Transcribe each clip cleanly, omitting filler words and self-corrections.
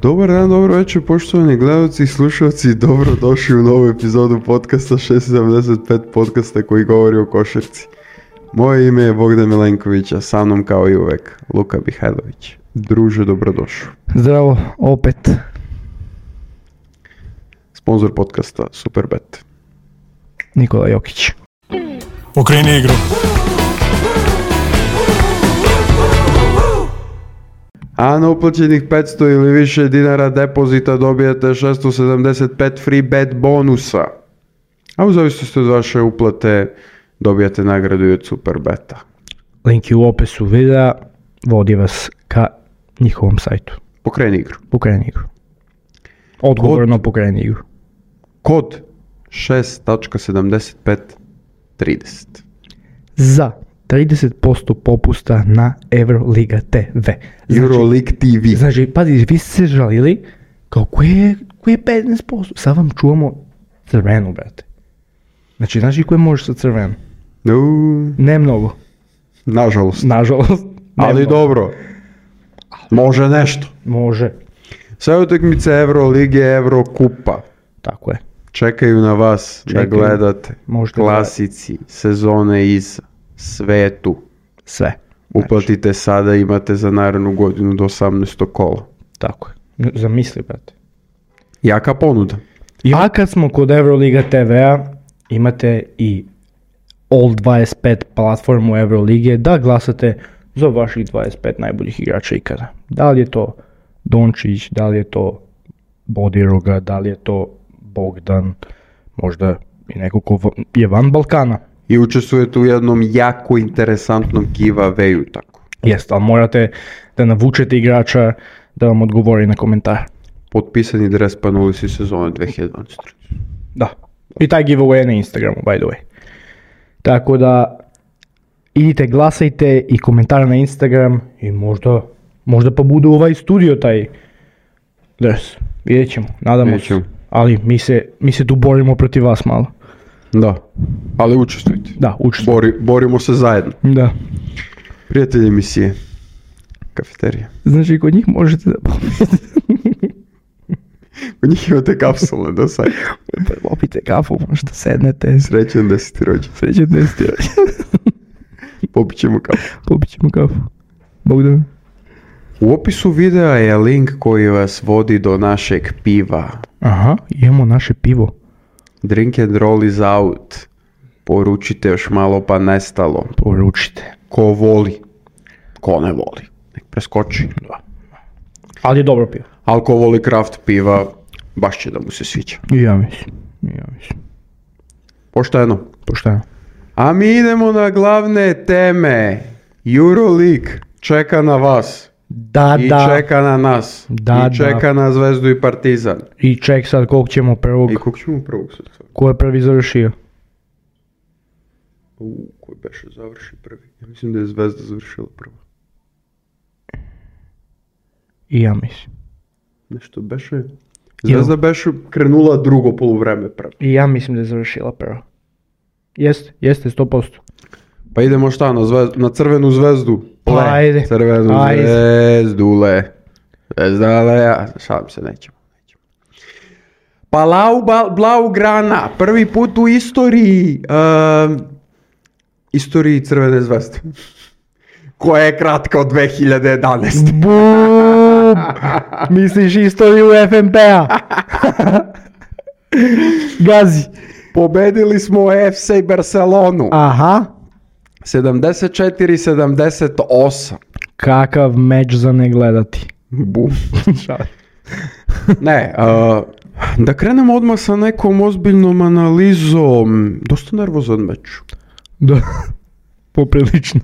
Dobar dan, dobro večer, poštovani gledalci i slušalci, dobrodošli u novu epizodu podcasta 675, podcasta koji govori o košarci. Moje ime je Bogdan Milenković, a sa mnom kao i uvek Luka Mihajlović. Druže, dobrodošao. Zdravo, opet. Sponzor podcasta Superbet. Nikola Jokić. Okreni igru. A na uplaćenih 500 ili više dinara depozita dobijete 675 free bet bonusa. A u zavisnosti od vaše uplate dobijate nagradu i od Superbeta. Link je u opisu videa, vodi vas ka njihovom sajtu. Pokreni igru. Pokreni igru. Odgovorno pokreni igru. Kod 6.7530. Za 30% popusta na Euroliga TV. Euroleague TV. Znači, pazi, vi ste se žalili kao koje je 15%? Sad vam čuvamo crvenu, brate. Znači koje možeš sa crvenom? Ne mnogo. Nažalost. Ali mnogo. dobro. Može nešto. Može. Sve utakmice Eurolige, Eurokupa. Tako je. Čekaju na vas da gledate. Možete klasici, sezone iz svetu. Sve. Uplatite sada, imate za narednu godinu do 18. kola. Tako je. Zamisli, brate. Jaka ponuda. A kad smo kod Euroliga TV-a, imate i All 25 platformu Eurolige da glasate za vaših 25 najboljih igrača ikada. Da li je to Dončić, da li je to Bodiroga, da li je to Bogdan, možda i neko ko je van Balkana. I učestvujete u jednom jako interesantnom giveawayu, tako. Jeste, ali morate da navučete igrača da vam odgovori na komentar. Potpisani dres pa na ulici sezone 2012. Da. I taj giveaway je na Instagramu, by the way. Tako da idite, glasajte i komentar na Instagram i možda pa bude ovaj studio taj dres. Vidjet ćemo, nadamo se. Ali mi se tu borimo protiv vas malo. Da, ali učestvujte. Da, učestvujte. Borimo se zajedno. Da. Prijatelji emisije. Kafeterija. Znači, kod njih možete da kod njih imate kapsulne do sad. Popite kafu, možda sednete. Srećan 10. rođen. Srećan 10. rođen. Popit ćemo kafu. Bogdan. U opisu videa je link koji vas vodi do našeg piva. Aha, imamo naše pivo. Drink and roll is out. Poručite još malo pa nestalo. Poručite. Ko voli. Ko ne voli. Nek preskoči. Da. Ali je dobro pivo. Ali ko voli craft piva, baš će da mu se sviđa. I ja mislim. Pošteno. A mi idemo na glavne teme. Euroleague čeka na vas. I čeka na nas. I čeka na Zvezdu i Partizan. I ček sad koliko ćemo prvog. Sad? Ko je prvi završio? Ko beše završi prvi? Ja mislim da je Zvezda završila prva. I ja mislim. Nešto beše... Zvezda beše krenula drugo poluvreme prvo. I ja mislim da je završila prvo. Jeste 100%. Pa idemo šta, na crvenu zvezdu? Ajde. Crvenu zvezdule. Zvezdale, šalim se, nećemo. Blaugrana, prvi put u istoriji Crvene zvezde. Koja je kratka od 2011. Bum! Misliš istoriju FNP-a? Gazi. Pobedili smo FC Barcelonu. Aha. 74-78. Kakav meč za ne gledati. Bum. Ne, da krenemo odmah sa nekom ozbiljnom analizom. Dosta nervozan meč. Da. Poprilično.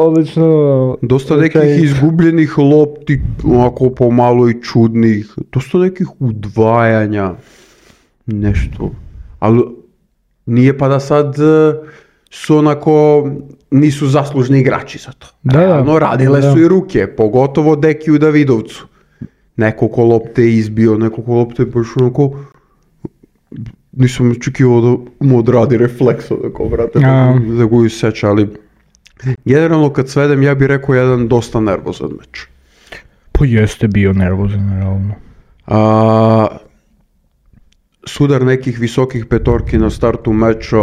Odlično. Dosta nekih izgubljenih lopti, onako pomalo i čudnih. Dosta nekih udvajanja. Nešto. Ali nije pa da sad su onako, nisu zaslužni igrači za to. Realno, radile su i ruke, pogotovo Dekiju Davidovcu. Nekoliko lopte izbio, nekoliko lopte baš onako, nisam očekivao da mu odradi refleks onako, vrate, da ga seća, ali generalno kad svedem ja bih rekao jedan dosta nervozan meč. Pa jeste bio nervozan, realno. Sudar nekih visokih petorki na startu meča,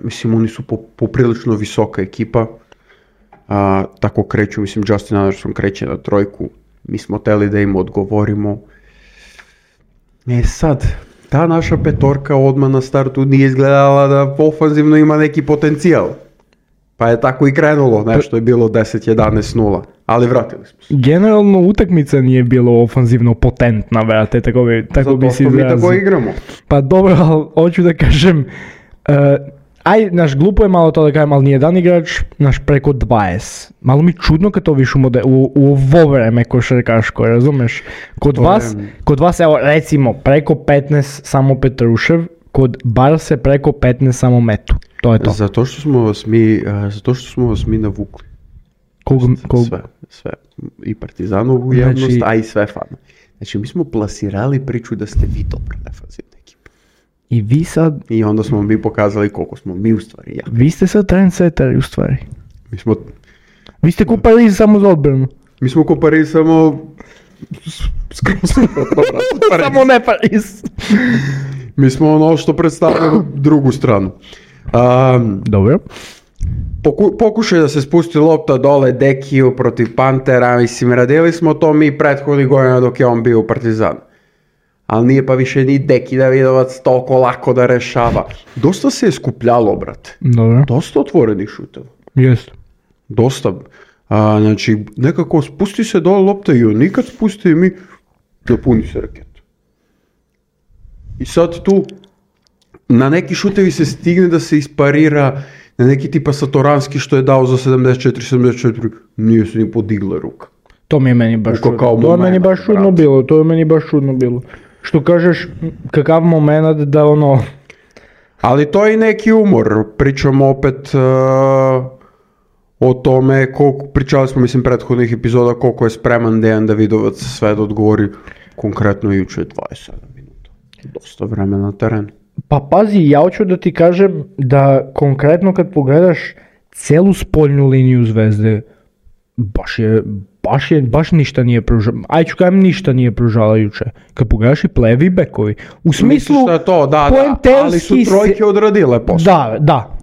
mislim oni su poprilično visoka ekipa, tako kreću, mislim Justin Anderson kreće na trojku, mi smo teli da im odgovorimo. Sad, ta naša petorka odmah na startu nije izgledala da ofanzivno ima neki potencijal. Pa je tako i krenulo, nešto je bilo 10-11-0, ali vratili smo se. Generalno utakmica nije bilo ofanzivno potentna, brate, tako bi si izrazio. Zato mi tako igramo. Pa dobro, ali hoću da kažem, naš glupo je malo to da kažem, ali nijedan igrač, preko 20. Malo mi čudno kad to viš u ovo vreme košarkaško, razumeš? Kod vas, evo, recimo, preko 15 samo Petrušev, kod Barse preko 15 samo Metu. To je to. Zato što smo vas mi navukli. Sve. I Partizanovu javnost, a i sve fana. Znači, mi smo plasirali priču da ste vi dobro defanzivna ekipa. I vi sad... I onda smo mi pokazali koliko smo mi u stvari jaki. Vi ste sad trendsetteri u stvari. Vi ste ko Pariz samo za odbranu. Mi smo ko Pariz samo... Samo ne Pariz. Mi smo ono što predstavljamo drugu stranu. Dobro. Pokušaj da se spusti lopta dole Dekiju protiv Pantera, mislim, radili smo to mi prethodnih godina dok je on bio u Partizanu. Ali nije pa više ni Deki Davidovac toliko lako da rešava. Dosta se je skupljalo, brate. Dobro. Dosta otvorenih šuteva. Jest. Dosta. Znači, nekako spusti se dole lopta i on nikad spusti i mi napuni se raketu. I sad tu na neki šutevi se stigne da se isparira, na neki tipa Satoranski što je dao za 74, nije se ni podigla ruka. To mi je meni baš čudno. To je meni baš čudno bilo. Što kažeš, kakav moment da ono... Ali to je i neki umor. Pričamo opet o tome, pričali smo mislim prethodnih epizoda koliko je spreman Dejan Davidovac sve da odgovori konkretno juče 27 minuta. Dosta vremena na terenu. Pa pazi, ja hoću da ti kažem da konkretno kad pogledaš celu spoljnu liniju Zvezde, baš ništa nije pružalo. Ništa nije pružala juče. Kad pogledaš i plevi bekovi. U smislu, ali su trojke odradile posao. Da.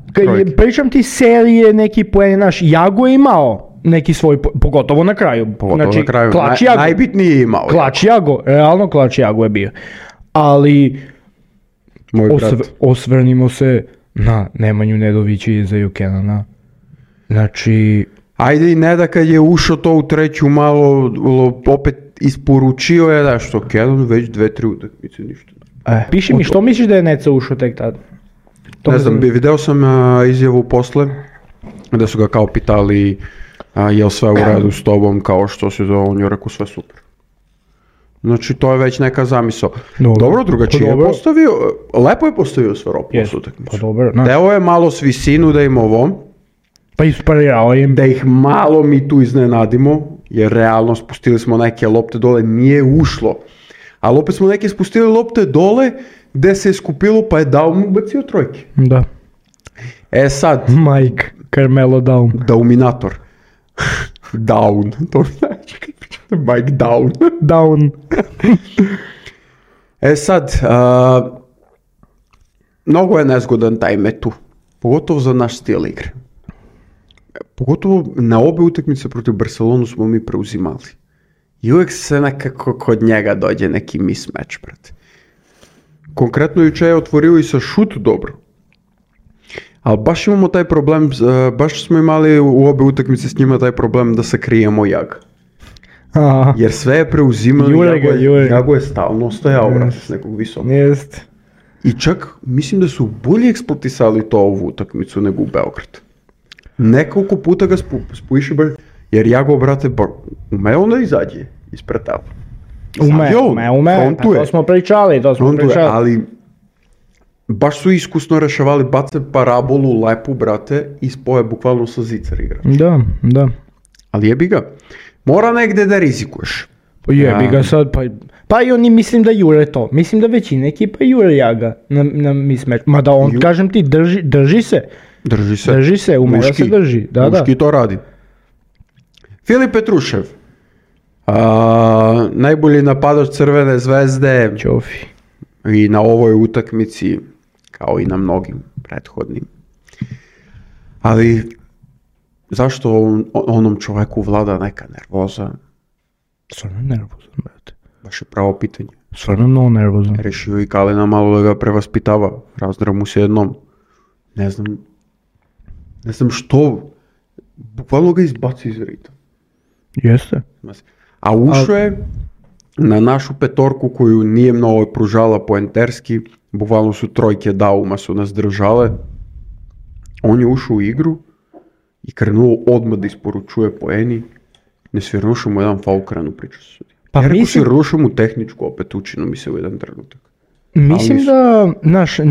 Pričam ti serije, neki poen, Jago je imao neki svoj, pogotovo na kraju. Znači, najbitniji je imao. Realno Klač Jago je bio. Ali... Osvrnimo se na Nemanju Nedovića i Izaju Kenana. Znači... Ajde i Neda kad je ušao to u treću malo, opet isporučio je da što Kenan već 2-3 utakmice ništa. Piši mi što misliš da je Neca ušao tek tad? Ne znam, video sam izjavu posle, da su ga kao pitali jel sve u redu s tobom, kao što se zove, on je rekao sve super. Znači to je već neka zamisao. Dobro, drugačije je postavio, lepo je postavio Svaropoulos utakmicu. Deo je malo s visinu da im ovo, pa isparirao im. Da ih malo mi tu iznenadimo, jer realno spustili smo neke lopte dole, nije ušlo. Ali opet smo neke spustili lopte dole, gde se je skupilo pa je Daum ubacio trojke. Da. Sad. Mike, Carmelo Daum. Dauminator. Down. To znači. Mike Down. Down. Sad, mnogo je nezgodan taj metu. Pogotovo za naš stil igre. Pogotovo na obe utakmice protiv Barcelonu smo mi preuzimali. I uvijek se nekako kod njega dođe neki mismatch, brate. Konkretno juče je otvorio i sa šut dobro. Ali baš imamo taj problem, baš smo imali u obe utakmice s njima taj problem da sakrijemo Jaga. Jer sve je preuzimali, Jago je stalno stajao, brate, s nekog visokog. Jest. I čak mislim da su bolje eksploatisali to ovu utakmicu nego u Beograd. Nekoliko puta ga spojiše, jer Jago, brate, ume on da izađe ispred tela. Ume, to smo pričali. Ali baš su iskusno rešavali, bace parabolu lepu, brate, i spoje bukvalno sa zicar igrač. Da. Ali jebi ga. Mora negde da rizikuješ. Jebi ga sad, pa i oni mislim da jure to. Mislim da većina ekipa jure Jaga na mismatch. Mada on, kažem ti, drži se. Drži se, ume da se drži. Muški to radi. Filip Petrušev, Najbolji napadač Crvene zvezde Ćofi. i na ovoj utakmici, kao i na mnogim prethodnim. Ali zašto onom čovjeku vlada neka nervoza? Stvarno nervozan, brate. Baš je pravo pitanje. Stvarno mnogo nervozan. Rešio i Kalina malo da ga prevaspitava. Razdra mu se jednom. Ne znam što. Bukvalno ga izbaci iz rita. Jeste. A ušao je na našu petorku koju nije mnogo pružala poenterski. Bukvalno su trojke Dauma su nas držale. On je ušao u igru i krenuo odmah da isporučuje poeni. Ne svirnušao mu jedan faul, krenu priču sa sudi. Pa ja rekao mislim- svirnušao mu tehničku, opet učinu mi se u jedan trenutak. Mislim Ali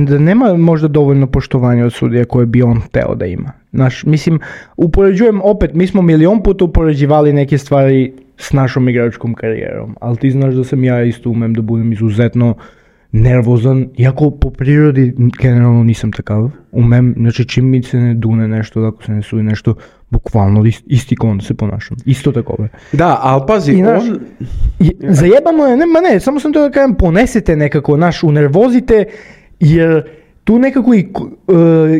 da nema možda dovoljno poštovanja od sudija koje bi on teo da ima. Mislim, upoređujem opet, mi smo milion puta upoređivali neke stvari s našom igračkom karijerom, ali ti znaš da sam ja isto umem da budem izuzetno nervozan, iako po prirodi generalno nisam takav. Umem, znači čim mi se ne dune nešto, ako se ne sudi nešto, bukvalno isti kon se ponašam. Isto tako. Da, ali pazi, I znaš, on... Zajebano je, samo sam to da kažem, ponesete nekako, unervozite, jer tu nekako i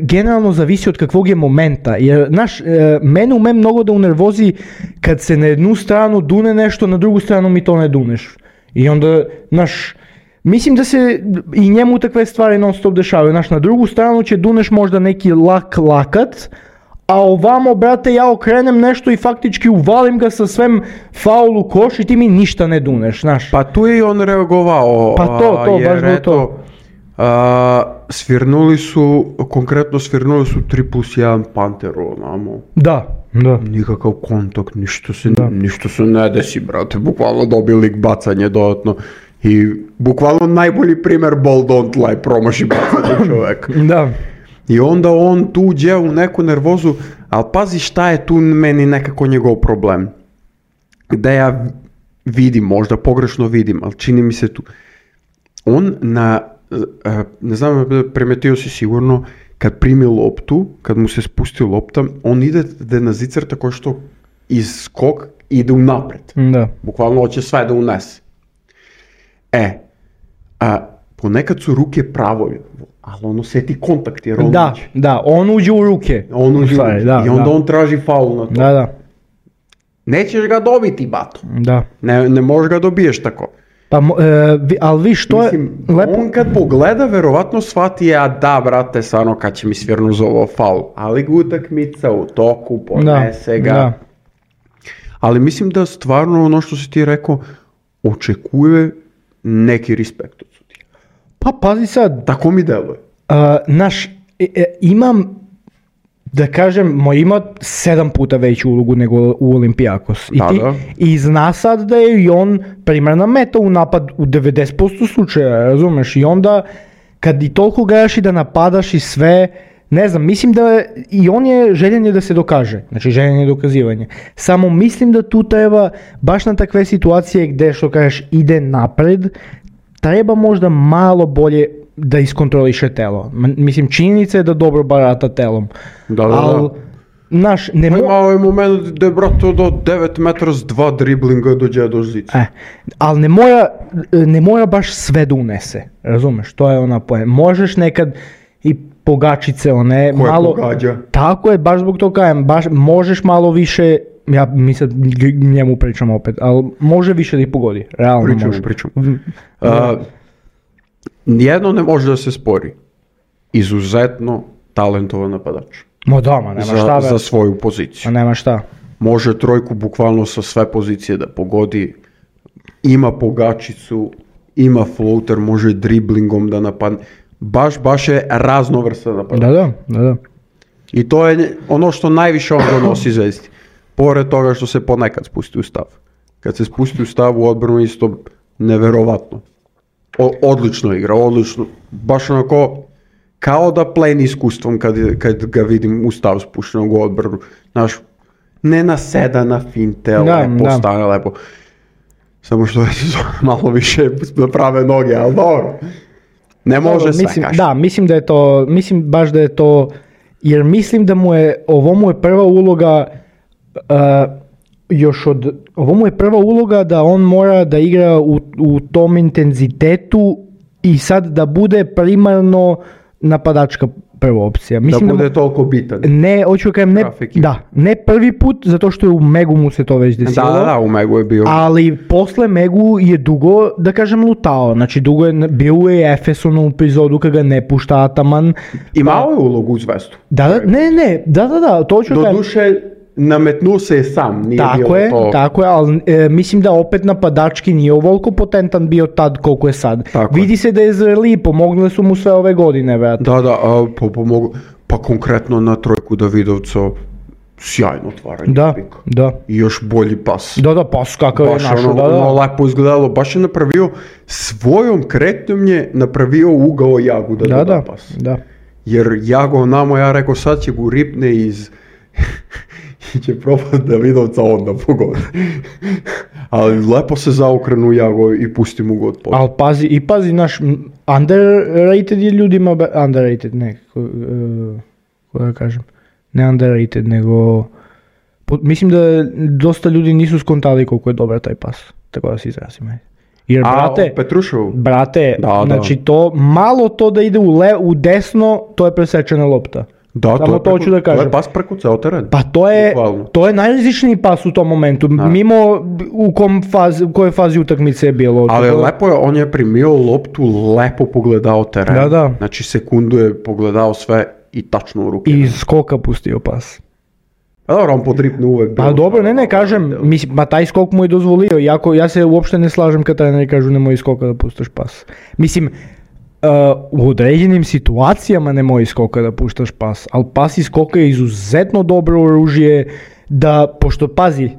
generalno zavisi od kakvog je momenta, jer mene ume mnogo da unervozi kad se na jednu stranu dune nešto, na drugu stranu mi to ne duneš. I onda, mislim da se i njemu takve stvari non stop dešavaju, na drugu stranu će duneš možda neki lakat, a ovamo, brate, ja okrenem nešto i faktički uvalim ga sa svem faulu koš i ti mi ništa ne duneš, znaš. Pa tu je i on reagovao. Pa to, jer baš bilo to. Svirnuli su 3+1 Panteru, onamo. Da. Nikakav kontakt, ništa se ne desi, brate, bukvalno dobili bacanje dodatno. I bukvalno najbolji primjer ball don't lie, promaši bacanje čovjek. Da. I onda on tu uđe u neku nervozu, ali pazi šta je tu meni nekako njegov problem. Da ja vidim, možda pogrešno vidim, ali čini mi se tu. On ne znam, primetio si sigurno, kad primi loptu, kad mu se spusti lopta, on ide da na zicer tako što iz skok ide unapred. Da. Bukvalno hoće sve da unese. Ponekad su ruke pravo, ali on osjeti kontakt jer on uđe. Da, on uđe u ruke. I onda on traži faul na to. Da. Nećeš ga dobiti, bato. Da. Ne možeš ga dobiješ tako. Pa, ali vi što je... On kad pogleda, verovatno shvati, da, brate, stvarno kad će mi svirnu za ovo faul. Ali utakmica u toku, ponese ga. Da. Ali mislim da stvarno ono što si ti rekao, očekuje neki respekt od sudija. Pa pazi sad. Tako mi deluje. Imam, da kažem, ima 7 puta veću ulogu nego u Olimpijakos. I zna sad da je i on primarna meta u napad u 90% slučaja, razumeš? I onda, kad i toliko gledaš i da napadaš i sve, ne znam, mislim da i on je željen da se dokaže, znači željen je dokazivanje. Samo mislim da tu treba, baš na takve situacije gdje, što kažeš, ide napred, treba možda malo bolje da iskontroliše telo. Mislim, činjenica je da dobro barata telom. Ali, Imao je moment da je brato do 9 metara s 2 driblinga dođe do žice. Ali ne mora baš sve da unese, razumeš, to je ona pojem. Možeš nekad i pogačice, one koje malo... pogađa. Tako je, baš zbog toga kajem, možeš malo više, mi sad njemu pričam opet, ali može više da ih pogodi, realno može. Pričam. Jedno ne može da se spori. Izuzetno talentovan napadač. Nema šta. Za svoju poziciju. Nema šta. Može trojku bukvalno sa sve pozicije da pogodi. Ima pogačicu, ima floater, može driblingom da napadne. Baš je raznovrstan napadač. Da. I to je ono što najviše on donosi Zvezdi. Pored toga što se ponekad spusti u stav. Kad se spusti u stav u odbranu isto neverovatno. Odlično igra, odlično. Baš onako kao da pleni iskustvom kad ga vidim u stav spuštenog u odbranu. Znaš, ne naseda na finte, lepo stane, lepo. Samo što je malo više naprave noge, ali dobro. Ne može sve, kaži. Da, mislim baš da je to, jer mislim da ovo mu je prva uloga ovo mu je prva uloga da on mora da igra u tom intenzitetu i sad da bude primarno napadačka prva opcija. Mislim da bude toliko bitan. Ne, hoću kažem, ne prvi put, zato što je u Megu mu se to već desilo. Da, u Megu je bio. Ali posle Megu je dugo, da kažem, lutao. Znači, dugo je bio u Efesonu epizodu kada ga ne pušta Ataman. Imao je ulogu u Zvezdu. Da, to hoću kažem. Doduše, nametnuo se je sam, nije tako bilo je, to. Tako je, ali mislim da opet napadački nije ovoliko potentan bio tad koliko je sad. Vidi se da je zreli, pomogle su mu sve ove godine, vrat. Da, pomoglo. Pa konkretno na trojku Davidovca, sjajno otvaranje. Da. I još bolji pas. Da, pas kakav je našo. Ono lepo izgledalo, baš je napravio, svojom kretnjom je napravio ugao Jagu da da pas. Da. Jer Jago namo, ja rekao, sad će go ripne iz... i će probati Davidovca onda pogodi. Ali lepo se zaokrenu Jago i pusti mu god pod. Ali pazi, naš underrated je ljudima, underrated, ne, kako da kažem, ne underrated, nego, mislim da dosta ljudi nisu skontali koliko je dobar taj pas, tako da se izrazim. Jer, brate, znači to, malo to da ide u desno, to je presečena lopta. Da, to je pas preko ceo teren. Pa to je najrizičniji pas u tom momentu, mimo u kojoj fazi utakmice je bilo. Ali lepo je, on je primio loptu, lepo pogledao teren. Da. Znači sekundu je pogledao sve i tačno u ruke. I skoka pustio pas. Pa dobro, on podripne uvek. Pa dobro, ne, kažem, mislim, taj skok mu je dozvolio, ja se uopšte ne slažem kad treneri kažu nemoj skoka da puštaš pas. Mislim, u određenim situacijama nemoj skoka da puštaš pas, ali pas i skoka je izuzetno dobro oružje da, pošto pazi,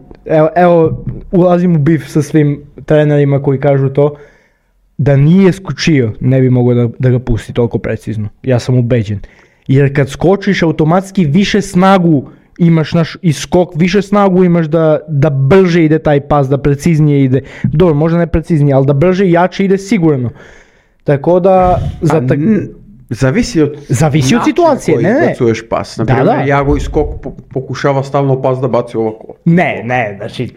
evo ulazim u bif sa svim trenerima koji kažu to, da nije skočio ne bi mogao da ga pusti toliko precizno, ja sam ubeđen, jer kad skočiš automatski više snagu imaš i skok, više snagu imaš da brže ide taj pas, da preciznije ide, dobro, možda ne preciznije, ali da brže i jače ide sigurno. Tako da... Zavisi od situacije, koji bacuješ pas. Naprimjer, Jago i skok pokušava stalno pas da baci ovako. Ne, znači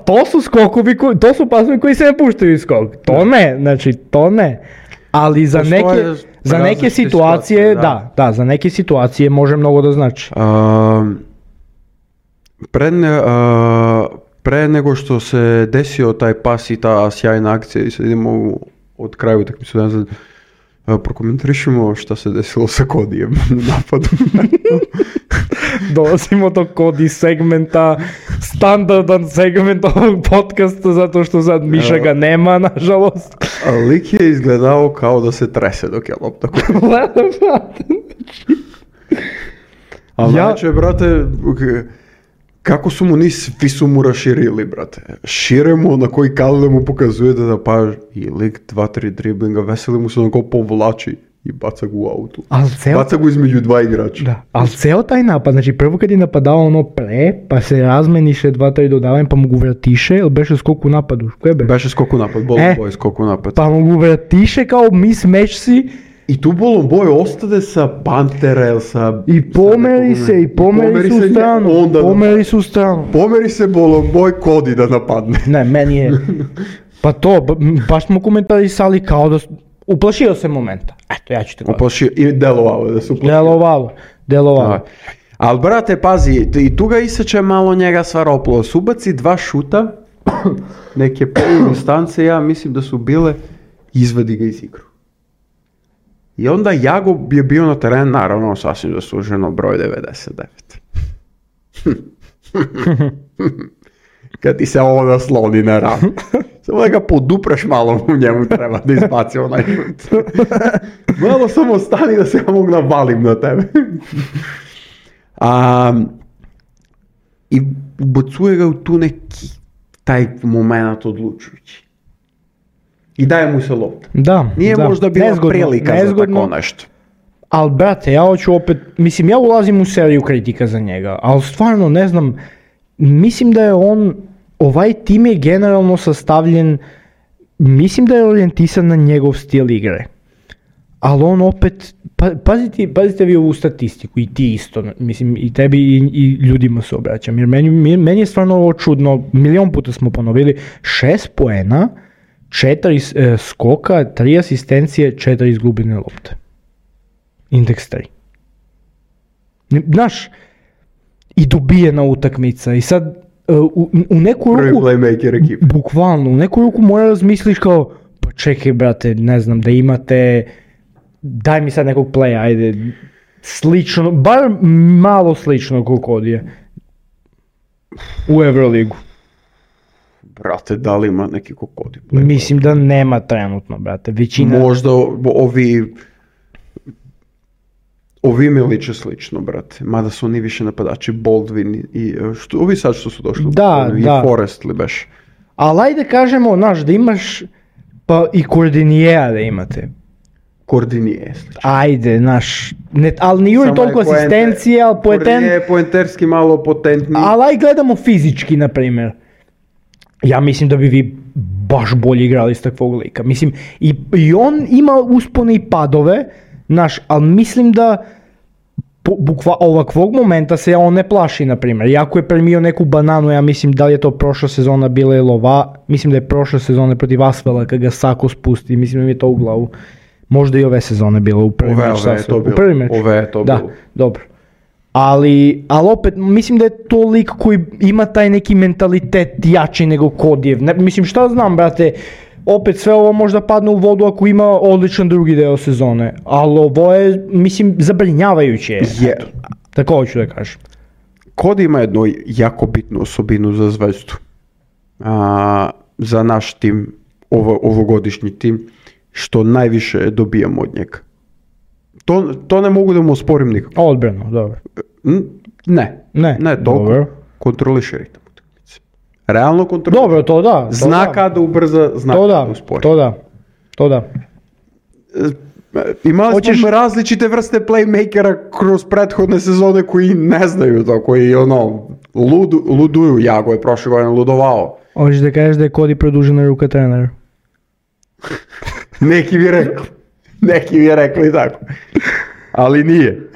to su skokovi, to su pasovi koji se ne puštaju iz skok. To ne. Ali za neke situacije, da, za neke situacije može mnogo da znači. Pre nego što se desio taj pas i ta sjajna akcija i sad idemo od kraju utakmice nazad, prokomentarišemo šta se desilo sa Kodijem u napadu. Dolazimo do Kodi segmenta, standardan segment ovog podcasta, zato što sad Miša ga nema, nažalost. Lik je izgledao kao da se trese dok je lopta. Ali znači, brate, kako su mu svi su mu raširili, brate. Šire mu na koji Kalile mu pokazuje da pa i lik 2-3 driblinga, veseli mu se na ko povlači i baca ga u autu. Baca ga između dva igrača. Da, ali ceo taj napad, znači prvo kad je napadao ono pa se razmeniše 2-3 dodavanja, pa mu ga vratiše, ili beše skok u napadu? Beše skok u napad, Bolon skok u napad. Pa mu ga vratiše kao mismatch si. I tu Bolon Boy ostade sa Pantera, sa... I pomeri su u stranu. Pomeri se Bolon Boy, Kodi da napadne. Ne, meni je... Pa to, baš smo komentarisali kao da... Uplašio se momenta. Eto, ja ću te gledati. Uplašio i delovalo da se uplašio. Delovalo. Ali brate, pazi, i tu ga iseče malo njega Svaropolo. Subaci 2 šuta, neke polu instance, ja mislim da su bile, izvadi ga iz igru. I onda Jago je bio na terenu, naravno, sasvim zasluženo, broj 99. Kad ti se ovo nasloni na ram. Samo da ga podupreš malo, u njemu treba da izbaci onaj šut. Malo samo stani da se ja mogu navalim na tebe. I ubacuje ga u tu neki, taj moment odlučujući. I daje mu se lopta. Nije možda bila prilika za tako nešto. Ali brate, ja hoću opet, mislim ja ulazim u seriju kritika za njega, ali stvarno ne znam, mislim da je ovaj tim je generalno sastavljen, mislim da je orijentisan na njegov stil igre. ali on opet, pazite vi ovu statistiku i ti isto, mislim i tebi i ljudima se obraćam, jer meni je stvarno ovo čudno, milion puta smo ponovili, 6 poena, 4 skoka, 3 asistencije, 4 izgubljene lopte. Indeks 3. Znaš, i dobijena utakmica i sad u neku ruku, prvi playmaker ekipa. Bukvalno, u neku ruku mora razmisliš kao, pa čekaj brate, ne znam, da imate, daj mi sad nekog playa, ajde, slično, bar malo slično koliko odje u Euroligu. Brate, da li ima neki kokodi? Mislim da nema trenutno, brate, većina... Možda ovi mi liče slično, brate. Mada su oni više napadači, Baldwin i ovi sad što su došli. Da. I Forrest li beš. Ali ajde kažemo, znaš, da imaš pa i Cordiniera da imate. Cordinier slično. Ajde, znaš, ali nije juri toliko asistencije, ali Cordinier je poenterski malo potentniji. Ali aj gledamo fizički, na primjer. Ja mislim da bi vi baš bolje igrali s takvog lika. Mislim, i on ima uspone i padove, znaš, ali mislim da ovakvog momenta se on ne plaši, na primjer. Iako je primio neku bananu, ja mislim da li je to prošla sezona bila ili mislim da je prošla sezona protiv Asvela kad ga Sako spusti, mislim da mi je to u glavu. Možda i ove sezone bilo u prvi meč. Ove je to bilo. Da, dobro. Ali opet, mislim da je to lik koji ima taj neki mentalitet jači nego Kodijev. Mislim, šta znam, brate, opet sve ovo možda padne u vodu ako ima odličan drugi deo sezone, ali ovo je, mislim, zabrinjavajuće. Tako hoću da kažem. Kodi ima jednu jako bitnu osobinu za Zvezdu. Za naš tim, ovogodišnji tim, što najviše dobijamo od njega. To ne mogu da mu osporim nikako. Odbrano, dobro. Ne, toliko. Dobro. Kontroliše ritam utakmice. Realno kontroliše. Dobro, to da. Zna kada ubrza, zna kada uspori. To da. Imali smo različite vrste playmakera kroz prethodne sezone koji ne znaju to, koji luduju. Jago je prošle godine ludovao. Hoćeš da kažeš da je Cody produžena ruka trenera? Neki bi rekli tako. Ali nije.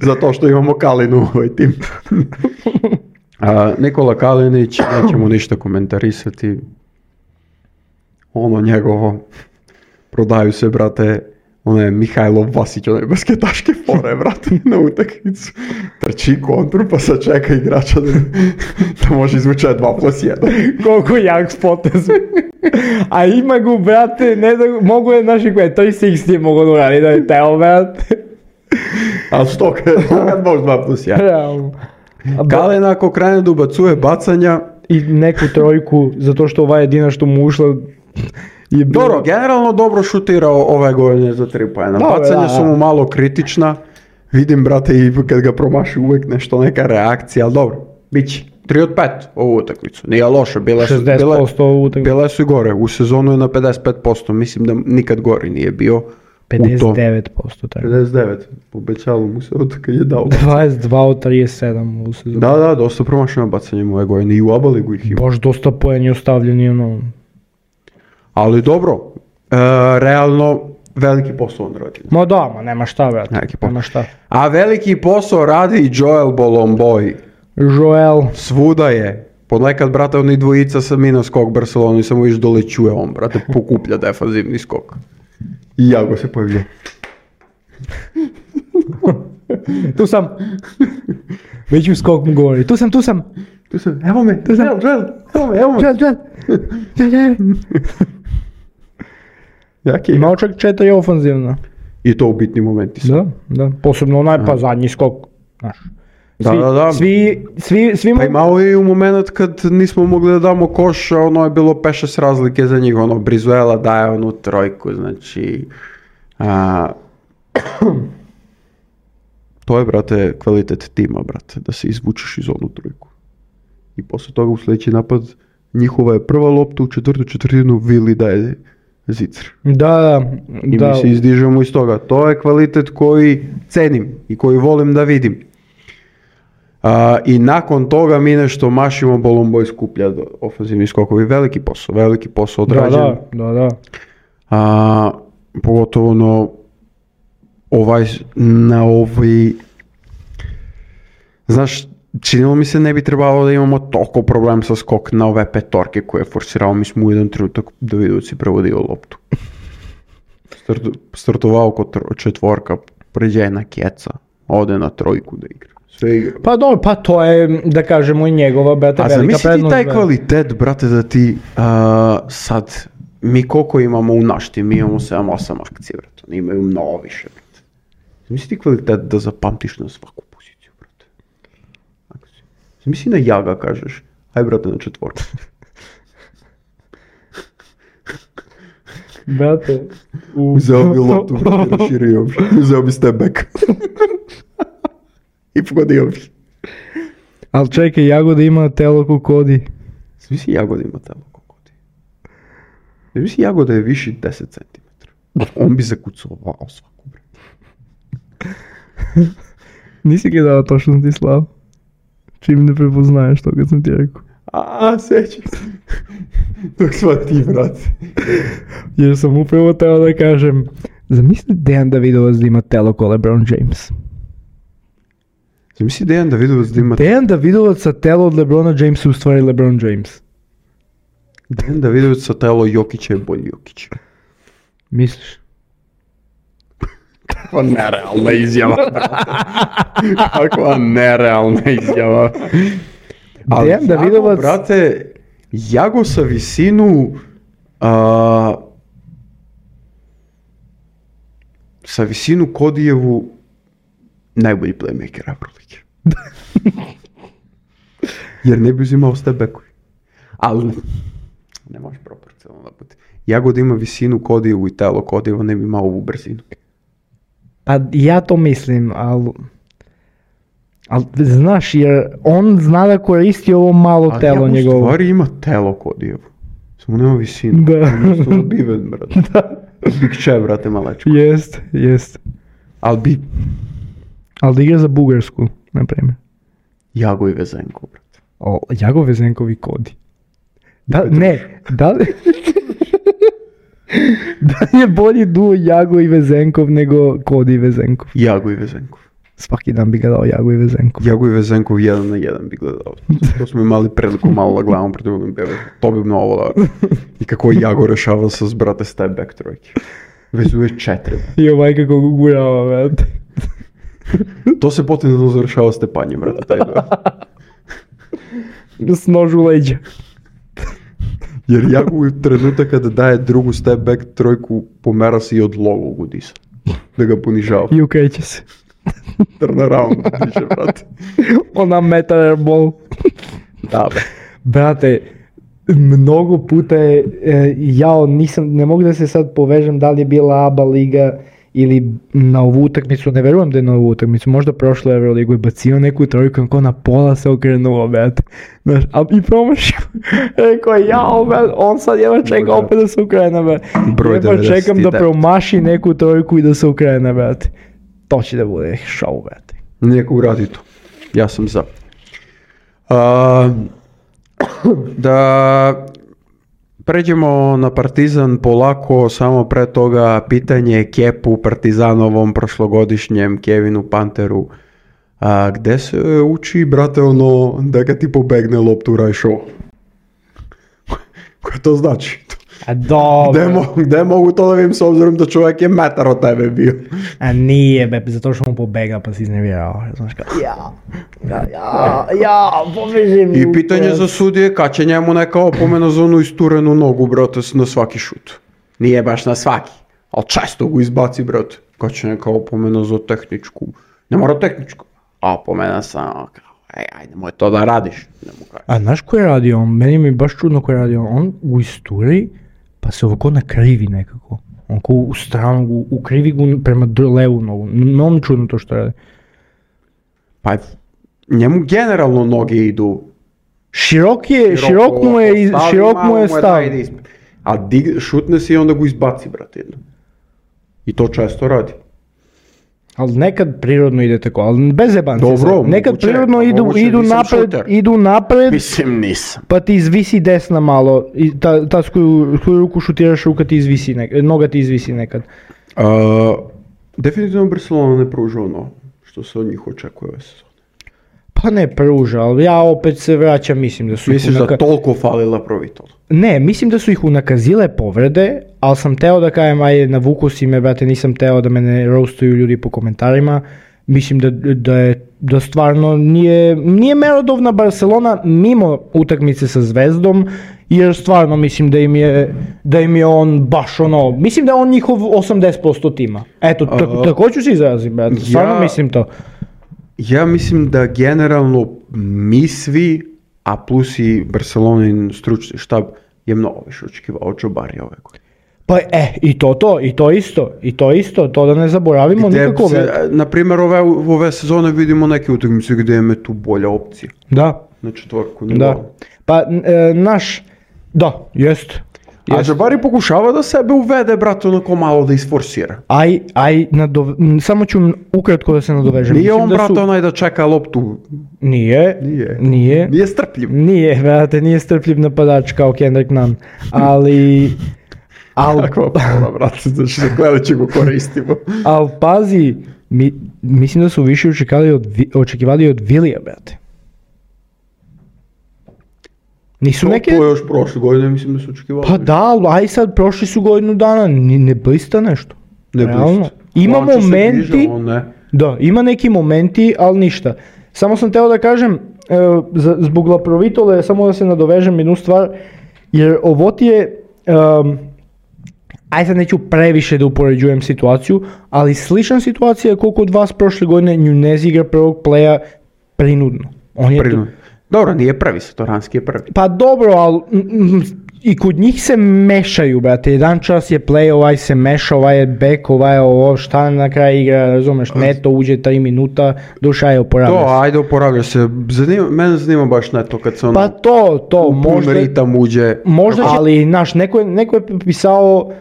Zato što imamo Kalinu u ovoj tim. Nikola Kalinić, nećemo ništa komentarisati. Njegovo, prodaju se, brate, Mihajlov Vasić, basketaške fore, brate, na utakmicu. Trči kontru, pa sad čeka igrača da može izvući 2+1. Koliko jak spotez. A ima go, brate, ne da mogu je naši koje, 360 je mogo da uradi, da je teo, brate. Ali što kad može 2+1? Realno. Kalen ako krene da ubacuje bacanja i neku trojku, zato što ova jedina što mu ušla je bilo... Dobro, generalno dobro šutirao ove godine za 3 poena. Bacanja su mu malo kritična. Vidim, brate, i kad ga promaši uvek neka reakcija, ali dobro, bit će. 3 od 5 ovu utakmicu. Nije loše, bile su i gore. U sezonu je na 55%, mislim da nikad gori nije bio. 59%. Tako. 59%, obećalo mu se od kad je dao. 22 od 37 u sezonu. Da, dosta promašeno bacanjem ove godine i u ABA ligu ih ima. Baš dosta poeni ostavljeni, Ali dobro, realno veliki posao on radi. Nema šta, brate. Nema šta. A veliki posao radi i Joel Bolomboy. Svuda je. Ponekad, brate, oni dvojica sa mina skok Barcelona i samo viš dolećuje on, brate, pokuplja defanzivni skok. I Jago se pojavlja. Tu sam. Već u skok mu govori. Tu sam. Evo me. Joel. Imao čak 4 ofanzivna. I to u bitnim momentima. Da. Posebno zadnji skok. Znaš. Da. Svi pa imao je i u moment kad nismo mogli da damo koš, je bilo 5-6 razlike za njih, Brizuela daje onu trojku, znači... To je, brate, kvalitet tima, brate, da se izvučeš iz onu trojku. I posle toga u sljedeći napad njihova je prva lopta u četvrtinu, Vili daje zicer. Da. I mi se izdižemo iz toga. To je kvalitet koji cenim i koji volim da vidim. I nakon toga mi nešto mašimo, Bolomboy skuplja ofenzivni skokovi. Veliki posao odrađen. Da. Pogotovo na ovaj... Znaš, činilo mi se ne bi trebalo da imamo toliko problem sa skok na ove petorke koje je forsirao. Mi smo u jedan trenutak Davidovac je prevodio loptu. Startovao kod četvorka, pređe jedna keca, ode na trojku da igra. Sve igra. Pa dobro, pa to je, da kažemo, i njegova, brate, velika prednost. A zamisli ti taj kvalitet, brate, da ti sad, mi koliko imamo u našti, mi imamo 7-8 akcije, brate, oni imaju mnogo više, brate. Zamisli ti kvalitet da zapamtiš na svaku poziciju, brate. Zamisli na Jaga kažeš, aj brate na četvorku. Brate, uzeo bi loptu, brate, raširio bi, uzeo bi step back. I pogodio bi. Ali čekaj, Jagoda ima telo ko Kodi. Zamisli Jagoda ima telo ko Kodi. Zamisli Jagoda je viši 10 cm. On bi zakucovao svaku, brate. Nisi ga dao točno ti Slav. Čim ne prepoznaješ to kad sam ti rekao. Sećam se. Dok sva ti, brate. Jer sam upravo teo da kažem, zamisli Dejan Davidovac da ima telo ko LeBron James. Zamisli Dejan Davidovac da ima... Dejan Davidovac sa telo od LeBrona Jamesa u stvari LeBron James. Dejan Davidovac sa telo Jokića je bolji Jokić. Misliš? Kakva nerealna izjava, brate. Kakva nerealna izjava. Ali Dejan Davidovac... brate, Jago sa visinu... sa visinu Kodijevu najbolji playmaker Euroligi. Jer ne bi uzimao step backovi. Ali ne može proporcionalno da bude. Jago da ima visinu Kodijevu i telo Kodijevu ne bi imao ovu brzinu. Pa ja to mislim, ali znaš, jer on zna da koristi ovo malo telo njegovo. Ali Jago stvari ima telo Kodijevu. Samo nema visinu. Da. Isto dobiven, brate. Da. Big Che, brate, malečko. Jest. Ali da igra za Bugarsku, na primjer. Jago i Vezenkov, brate. Jago, Vezenkov i Kodi. Da je bolji duo Jago i Vezenkov nego Kodi i Vezenkov? Jago i Vezenkov. Svaki dan bi ga dao Jago i Vezenkov. Jago i Vezenkov 1-1 bi gledao. To smo imali priliku malo da gledamo pred drugim bevom. To bi mnogo da. I kako je Jago rešavao sa brate step back trojke. Vezuje 4. I ovaj kako ga gurava, brate. To se potencijalno završava stepanjem, brate, taj deo. S nož u leđa. Jer Jago u trenutak kada daje drugu step back trojku pomera se i od logo Gudisa. Da ga ponižava. I ukreće se. Turn around, piše, brate. Ona metal airball. Da, be. Brate, mnogo puta je, ne mogu da se sad povežem da li je bila ABA liga ili na ovu utakmicu, ne verujem da je na ovu utakmicu, možda prošlo Euroligu i bacio neku trojku, kako na pola se okrenuo, brate. Znaš, i promašio. Rekao, brate, on sad jedva čeka opet da se okrene, brate. Jedva čekam da promaši neku trojku i da se okrene, brate. To će da bude show, brate. Neka uradi to. Ja sam za. Da pređemo na Partizan polako, samo pre toga pitanje Kepu, Partizanovom prošlogodišnjem Kevinu Panteru. Gde se uči, brate, ono da ga ti pobegne loptu radiš ovo? Koje to znači? A dobro. Gde mogu to da vidim s obzirom da čovjek je metar od tebe bio? A nije, be, zato što mu pobega pa si iznervirao. Znaš kao, pobeži mi. I pitanje za sudije, kad će njemu neka opomena za onu isturenu nogu, brate, na svaki šut? Nije baš na svaki, ali često go izbaci, brate. Kad će neka opomena za tehničku? Ne mora tehničku, a opomena samo kao, ajde, nemoj to da radiš. A znaš ko je radio on? Meni mi je baš čudno ko je radio on u isturi, pa se ovako nakrivi nekako. On ko u stranu, ukrivi gu prema levu nogu. Mnogo čudno to što radi. Pa njemu generalno noge idu. Širok mu je stav. A šutne se i onda go izbaci, brate, jedno. I to često radi. Ali nekad prirodno ide tako, ali bez jebanci. Dobro, Nekad moguće, prirodno moguće, nisam idu napred, Mislim, nisam. pa ti izvisi desna malo, i ta s koju ruku šutiraš, ruka ti izvisi noga ti izvisi nekad. Definitivno Barcelona ne pruža ono što se od njih očekuje ove sezone. Pa ne pruža, ali ja opet se vraćam, mislim da su Misliš da toliko falila Provitol? Ne, mislim da su ih unakazile povrede, ali sam teo da kajem, ajde navuku si me, brate, nisam teo da me ne roastuju ljudi po komentarima. Mislim da stvarno nije merodovna Barcelona mimo utakmice sa Zvezdom, jer stvarno mislim da im je on baš ono, mislim da je on njihov 80% tima. Eto, tako ću se izrazim, brate, stvarno mislim to. Ja mislim da generalno mi svi, a plus i Barcelonin stručni štab, je mnogo više očekivao od Džabarija ove godine. Pa i to isto, to da ne zaboravimo nikako. Na primjer, ove sezone vidimo neke utakmice gdje je tu bolja opcija. Da. Na četvorku. Da. Pa jest. A Džabari pokušava da sebe uvede, brate, onako malo da isforsira. Samo ću ukratko da se nadovežem. Nije on, brate, onaj da čeka loptu. Nije. Nije strpljiv. Nije, brate, nije strpljiv napadač kao Kendrick Nunn, ali... Kakva pola, brate, znači da gledat će go koristimo. Ali pazi, mislim da su više očekivali od Vilija, brate. Nisu neke... To je još prošle godine, mislim da su očekivali. Pa da, aj sad prošli su godinu dana, ne blista nešto. Ne blista. Ima momenti, da, ima neki momenti, ali ništa. Samo sam teo da kažem, zbog La Provitole, samo da se nadovežem jednu stvar, jer ovo ti je, aj sad neću previše da upoređujem situaciju, ali slična situacija je koliko od vas prošle godine Nunez igra prvog playa prinudno. On je prinudno. Dobro, nije prvi, Satoranski je prvi. Pa dobro, ali i kod njih se mešaju, brate. Jedan čas je play, ovaj se meša, ovaj je back, ovaj je ovo, šta na kraju igra, razumeš, Neto uđe 3 minuta, duša je oporavlja se. To, ajde oporavlja se. Mene zanima baš Neto kad se ono... Pa to, možda... ritam uđe. Možda će, ali, znaš, neko je pisao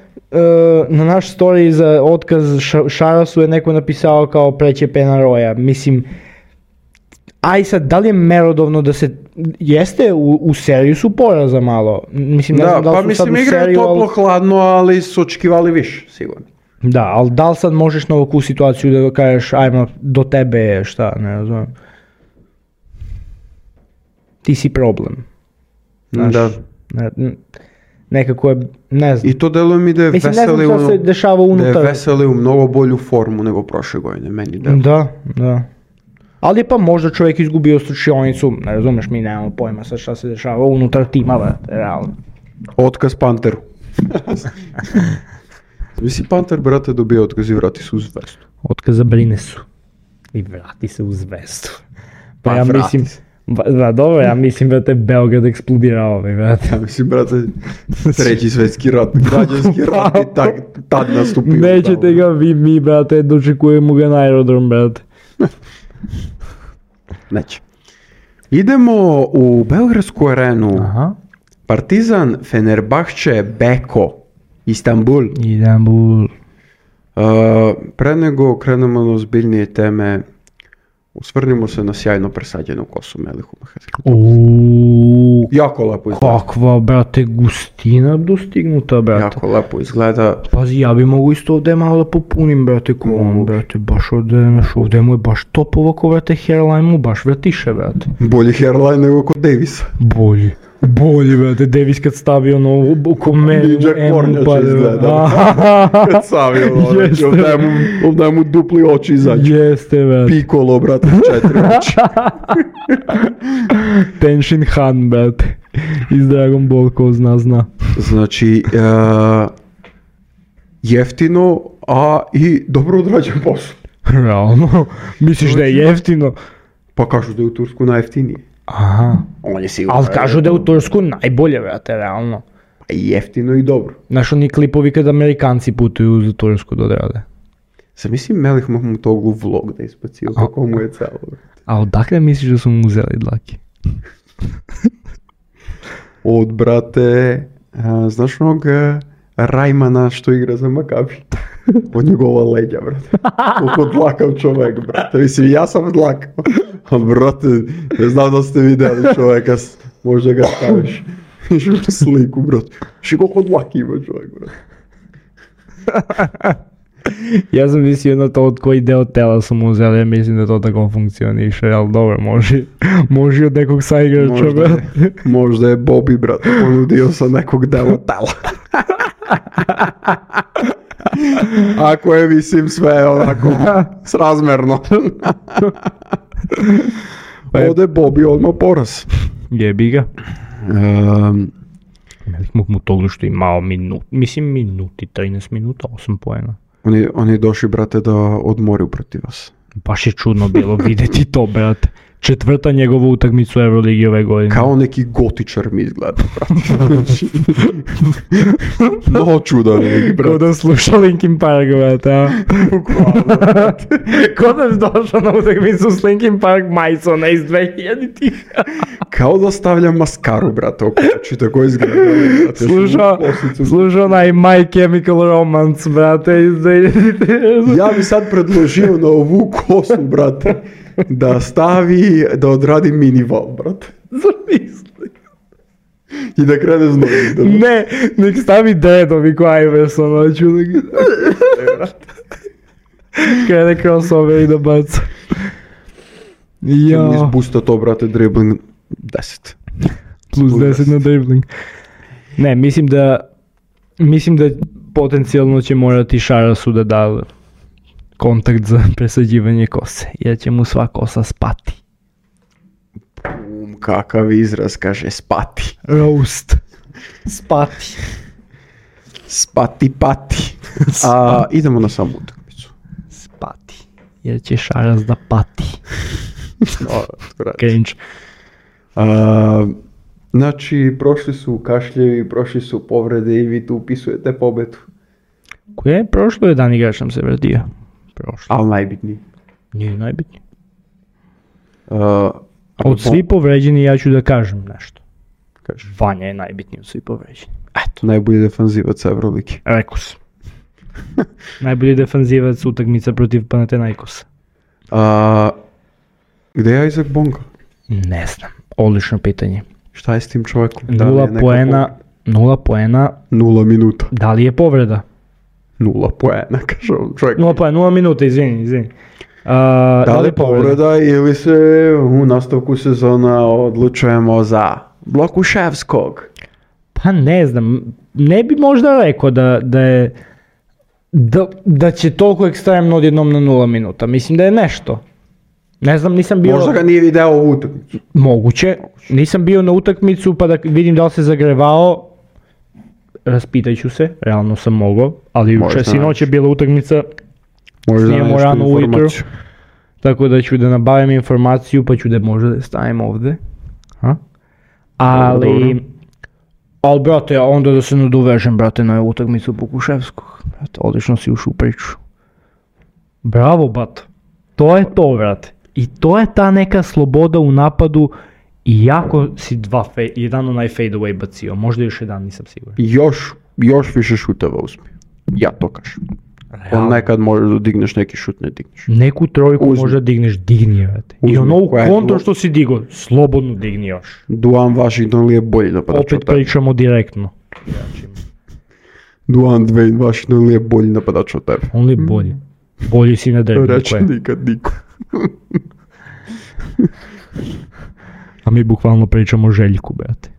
na naš story za otkaz Šarasu je neko napisao kao preće Penaroja. Mislim, aj sad, da li je merodovno da se, jeste u seriju su poraza malo. Mislim, ne znam da li su sad u seriju, igraju toplo hladno, ali su očekivali više, sigurno. Da, ali da li sad možeš na ovakvu situaciju da kažeš, ajmo, do tebe je šta, ne razumijem. Ti si problem. Znaš, da. Nekako je, ne znam. I to deluje mi da je Veseli u mnogo bolju formu nego prošle godine, meni deluje. Da. Ali je pa možda čovjek izgubio slučionicu, ne razumeš, mi nemamo pojma sad šta se dešava unutar tima, realno. Otkaz Panteru. Misli Panter, brate, dobije otkaz i vrati se u Zvezdu. Otkaz za Brinesu. I vrati se u Zvezdu. Pa ja mislim, dobro, ja mislim da te Beograd eksplodirao, brate. Ja mislim, brate, treći svjetski rat, građanski rat i tad nastupio. Nećete ga mi, brate, dočekujemo ga na aerodrom, brate. Neće. Idemo u Beogradsku arenu. Aha. Partizan, Fenerbahče, Beko, Istanbul. Pre nego krenemo na ozbiljnije teme, osvrnimo se na sjajno presađenu kosu Melihu Mehediju. Jako lepo izgleda. Kakva, brate, gustina dostignuta, brate. Jako lepo izgleda. Pazi, ja bi mogu isto ovdje malo da popunim, brate, brate, baš ovdje mu je baš top ovako, brate, hairline mu baš vratiše, brate. Bolji hairline nego kod Davisa. Bolji, brate, Davis kad stavi ono oko meni, Jack Pornjač izgleda. Kad stavi ono, ovdje mu dupli oči izađu. Jeste, brate. Piccolo, brate, 4 oči. Tenshin Han, brate, iz Dragon Ball, ko zna. Znači, jeftino, a i dobro odrađen posao. Realno, misliš da je jeftino? Pa kažu da je u Tursku najjeftinije. Aha. On je sigurno. Ali kažu da je u Tursku najbolje, brate, realno. Pa i jeftino i dobro. Znaš oni klipovi kad Amerikanci putuju za Tursku da odrade. Sad mislim Melih Mahmutoglu vlog da ispacio kako mu je celo. A odakle misliš da su mu uzeli dlaki? Od, brate, znaš onog Rajmana što igra za Makabi? od njegova leđa, brate. Koliko dlakav čovjek, brate. Mislim, ja sam dlakav. Ali, brate, ne znam da ste vidjeli čovjeka, možda ga staviš. U sliku, brate. Še koliko dlaki ima čovjek, brate. Ja sam mislio na to od koji deo tela su mu uzeli, ja mislim da to tako funkcioniše, ali dobro, može od nekog saigrača, brate. Možda je Bobby, brate, ponudio sa nekog dela tela. Ako je, mislim, sve onako srazmerno. Ode Bobby odmah poraz. Jebi ga. Mogu mu to što imao minuti, 13 minuta, 8 poena. Oni došli, brate, da odmoriju protiv vas. Baš je čudno bilo vidjeti to, brate. Četvrta njegova utakmica u Euroligi ove godine. Kao neki gotičar mi izgleda, brate. No čudan neki, brate. Ko da sluša Linkin Park, brate, a? Ko da je došao na utakmicu s Linkin Park majicona iz 2000-ih. Kao da stavlja maskaru, brate, oko oči, tako izgleda. Slušao onaj My Chemical Romance, brate, iz 2000-ih. Ja bi sad predložio na ovu kosu, brate, da odradi minival, brate. Zamisli. I da krene s novim. Ne, nek stavi dreadovi ko Iverson, hoću da ga... Krene crossover i da baca. Ja. Izbusta to, brate, dribbling 10. Plus 10 na dribbling. Ne, mislim da potencijalno će morati Šarasu da da kontakt za presađivanje kose, jer će mu sva kosa spati. Kakav izraz, kaže spati. Roast. Spati. Spati pati. Idemo na samu utakmicu. Spati. Jer će Šaras da pati. Cringe. Znači, prošli su kašljevi, prošli su povrede i vi tu upisujete pobedu. Koje? Prošlo je dan igrač nam se vratio. Prošlo. Ali najbitniji. Nije najbitniji. Od svi povređeni ja ću da kažem nešto. Kaži. Vanja je najbitniji od svi povređeni. Eto. Najbolji defanzivac Euroligi. Rekao sam. Najbolji defanzivac utakmica protiv Panathinaikosa. Gde je Isaac Bonga? Ne znam. Odlično pitanje. Šta je s tim čovjekom? 0 poena. 0 minuta. Da li je povreda? 0 poena, kaže on čovjek. 0 minuta, izvini. Da li je povreda ili se u nastavku sezona odlučujemo za Blokuševskog? Pa ne znam, ne bi možda rekao da će toliko ekstremno odjednom na 0 minuta. Mislim da je nešto. Ne znam, nisam bio... Možda ga nije video u utakmicu. Moguće. Nisam bio na utakmicu pa da vidim da li se zagrevao. Raspitat ću se, realno sam mogao, ali sinoć je bila utakmica, snijemo rano ujutro, tako da ću da nabavim informaciju pa ću da možda da stavim ovdje. Ali, brate, onda da se nadovežem, brate, na utakmicu Pokuševskog. Brate, odlično si ušao u priču. Bravo, bato. To je to, brate. I to je ta neka sloboda u napadu. I jako si jedan onaj fade away bacio, možda još jedan, nisam siguran. Još više šuteva uspije. Ja to kažem. On nekad možeš da digneš neki šut, ne digneš. Neku trojku možda digneš, digni, vrati. I ono u kontru što si digo, slobodno digni još. Duan Washington li je bolji napadač od tebe? Opet pričamo direktno. Duan Dwayne Washington li je bolji napadač od tebe? On li je bolji? Bolji si na derbi. Reći nikad niko. A mi bukvalno pričamo o Željku, brate.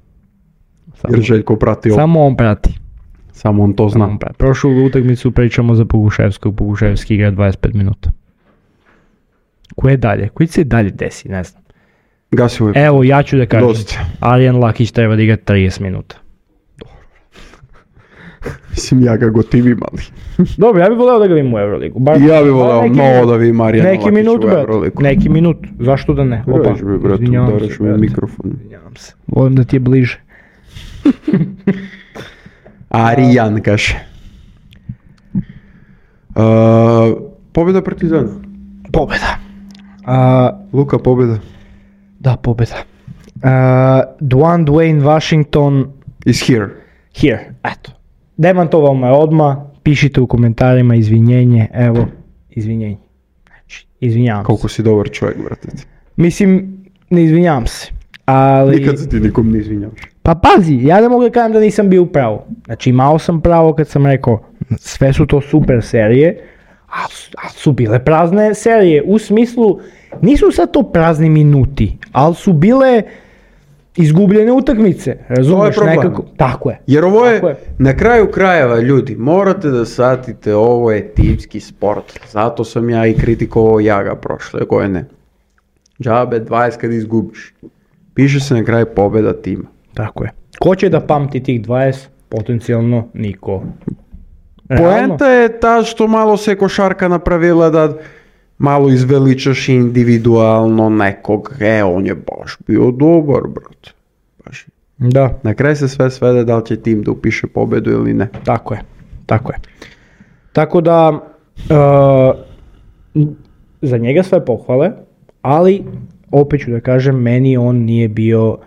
Jer Željko prati ovo. Samo on prati. Samo on to zna. Prošlu utakmicu pričamo za Pokuševskog. Pokuševski igra 25 minuta. Koje dalje? Koji se dalje desi? Ne znam. Gasi uvijek. Evo, ja ću da kažem. Arjan Lakić treba da igra 30 minuta. Mislim, ja ga gotivim, ali... Dobro, ja bih voleo da ga vidim u Euroligu. Ja bih voleo mnogo da vidim Arijana Lakić u Euroligu. Neki minut, zašto da ne? Opa, udaraš mi mikrofon. Izvinjavam se. Volim da ti je bliže. Arijan, kaže. Pobjeda Partizana. Pobjeda. Luka, pobjeda. Da, pobjeda. Dwayne Washington... Is here. Here, eto. Demantovao me odmah, pišite u komentarima izvinjenje, evo, izvinjenje. Znači, izvinjavam se. Koliko si dobar čovjek, brate. Mislim, ne izvinjavam se, ali... Nikad se ti nikom ne izvinjavaš. Pa pazi, ja ne mogu da kažem da nisam bio u pravu. Znači, imao sam pravo kad sam rekao, sve su to super serije, a su bile prazne serije, u smislu, nisu sad to prazni minuti, ali su bile izgubljene utakmice, razumiješ, problem. nekako, tako je. Jer ovo Tako je, na kraju krajeva, ljudi, morate da shvatite, ovo je timski sport. Zato sam ja i kritikovao Jaga prošle godine. Džabe 20 kad izgubiš. Piše se na kraju pobjeda tima. Tako je. Ko će da pamti tih 20? Potencijalno niko. Poenta je ta što malo se košarka napravila da malo izveličaš individualno nekog. On je baš bio dobar, brate. Baš. Da, Na kraju se sve svede da li će tim da upiše pobjedu ili ne. tako je. Tako da, za njega sve pohvale, ali opet ću da kažem, meni on nije bio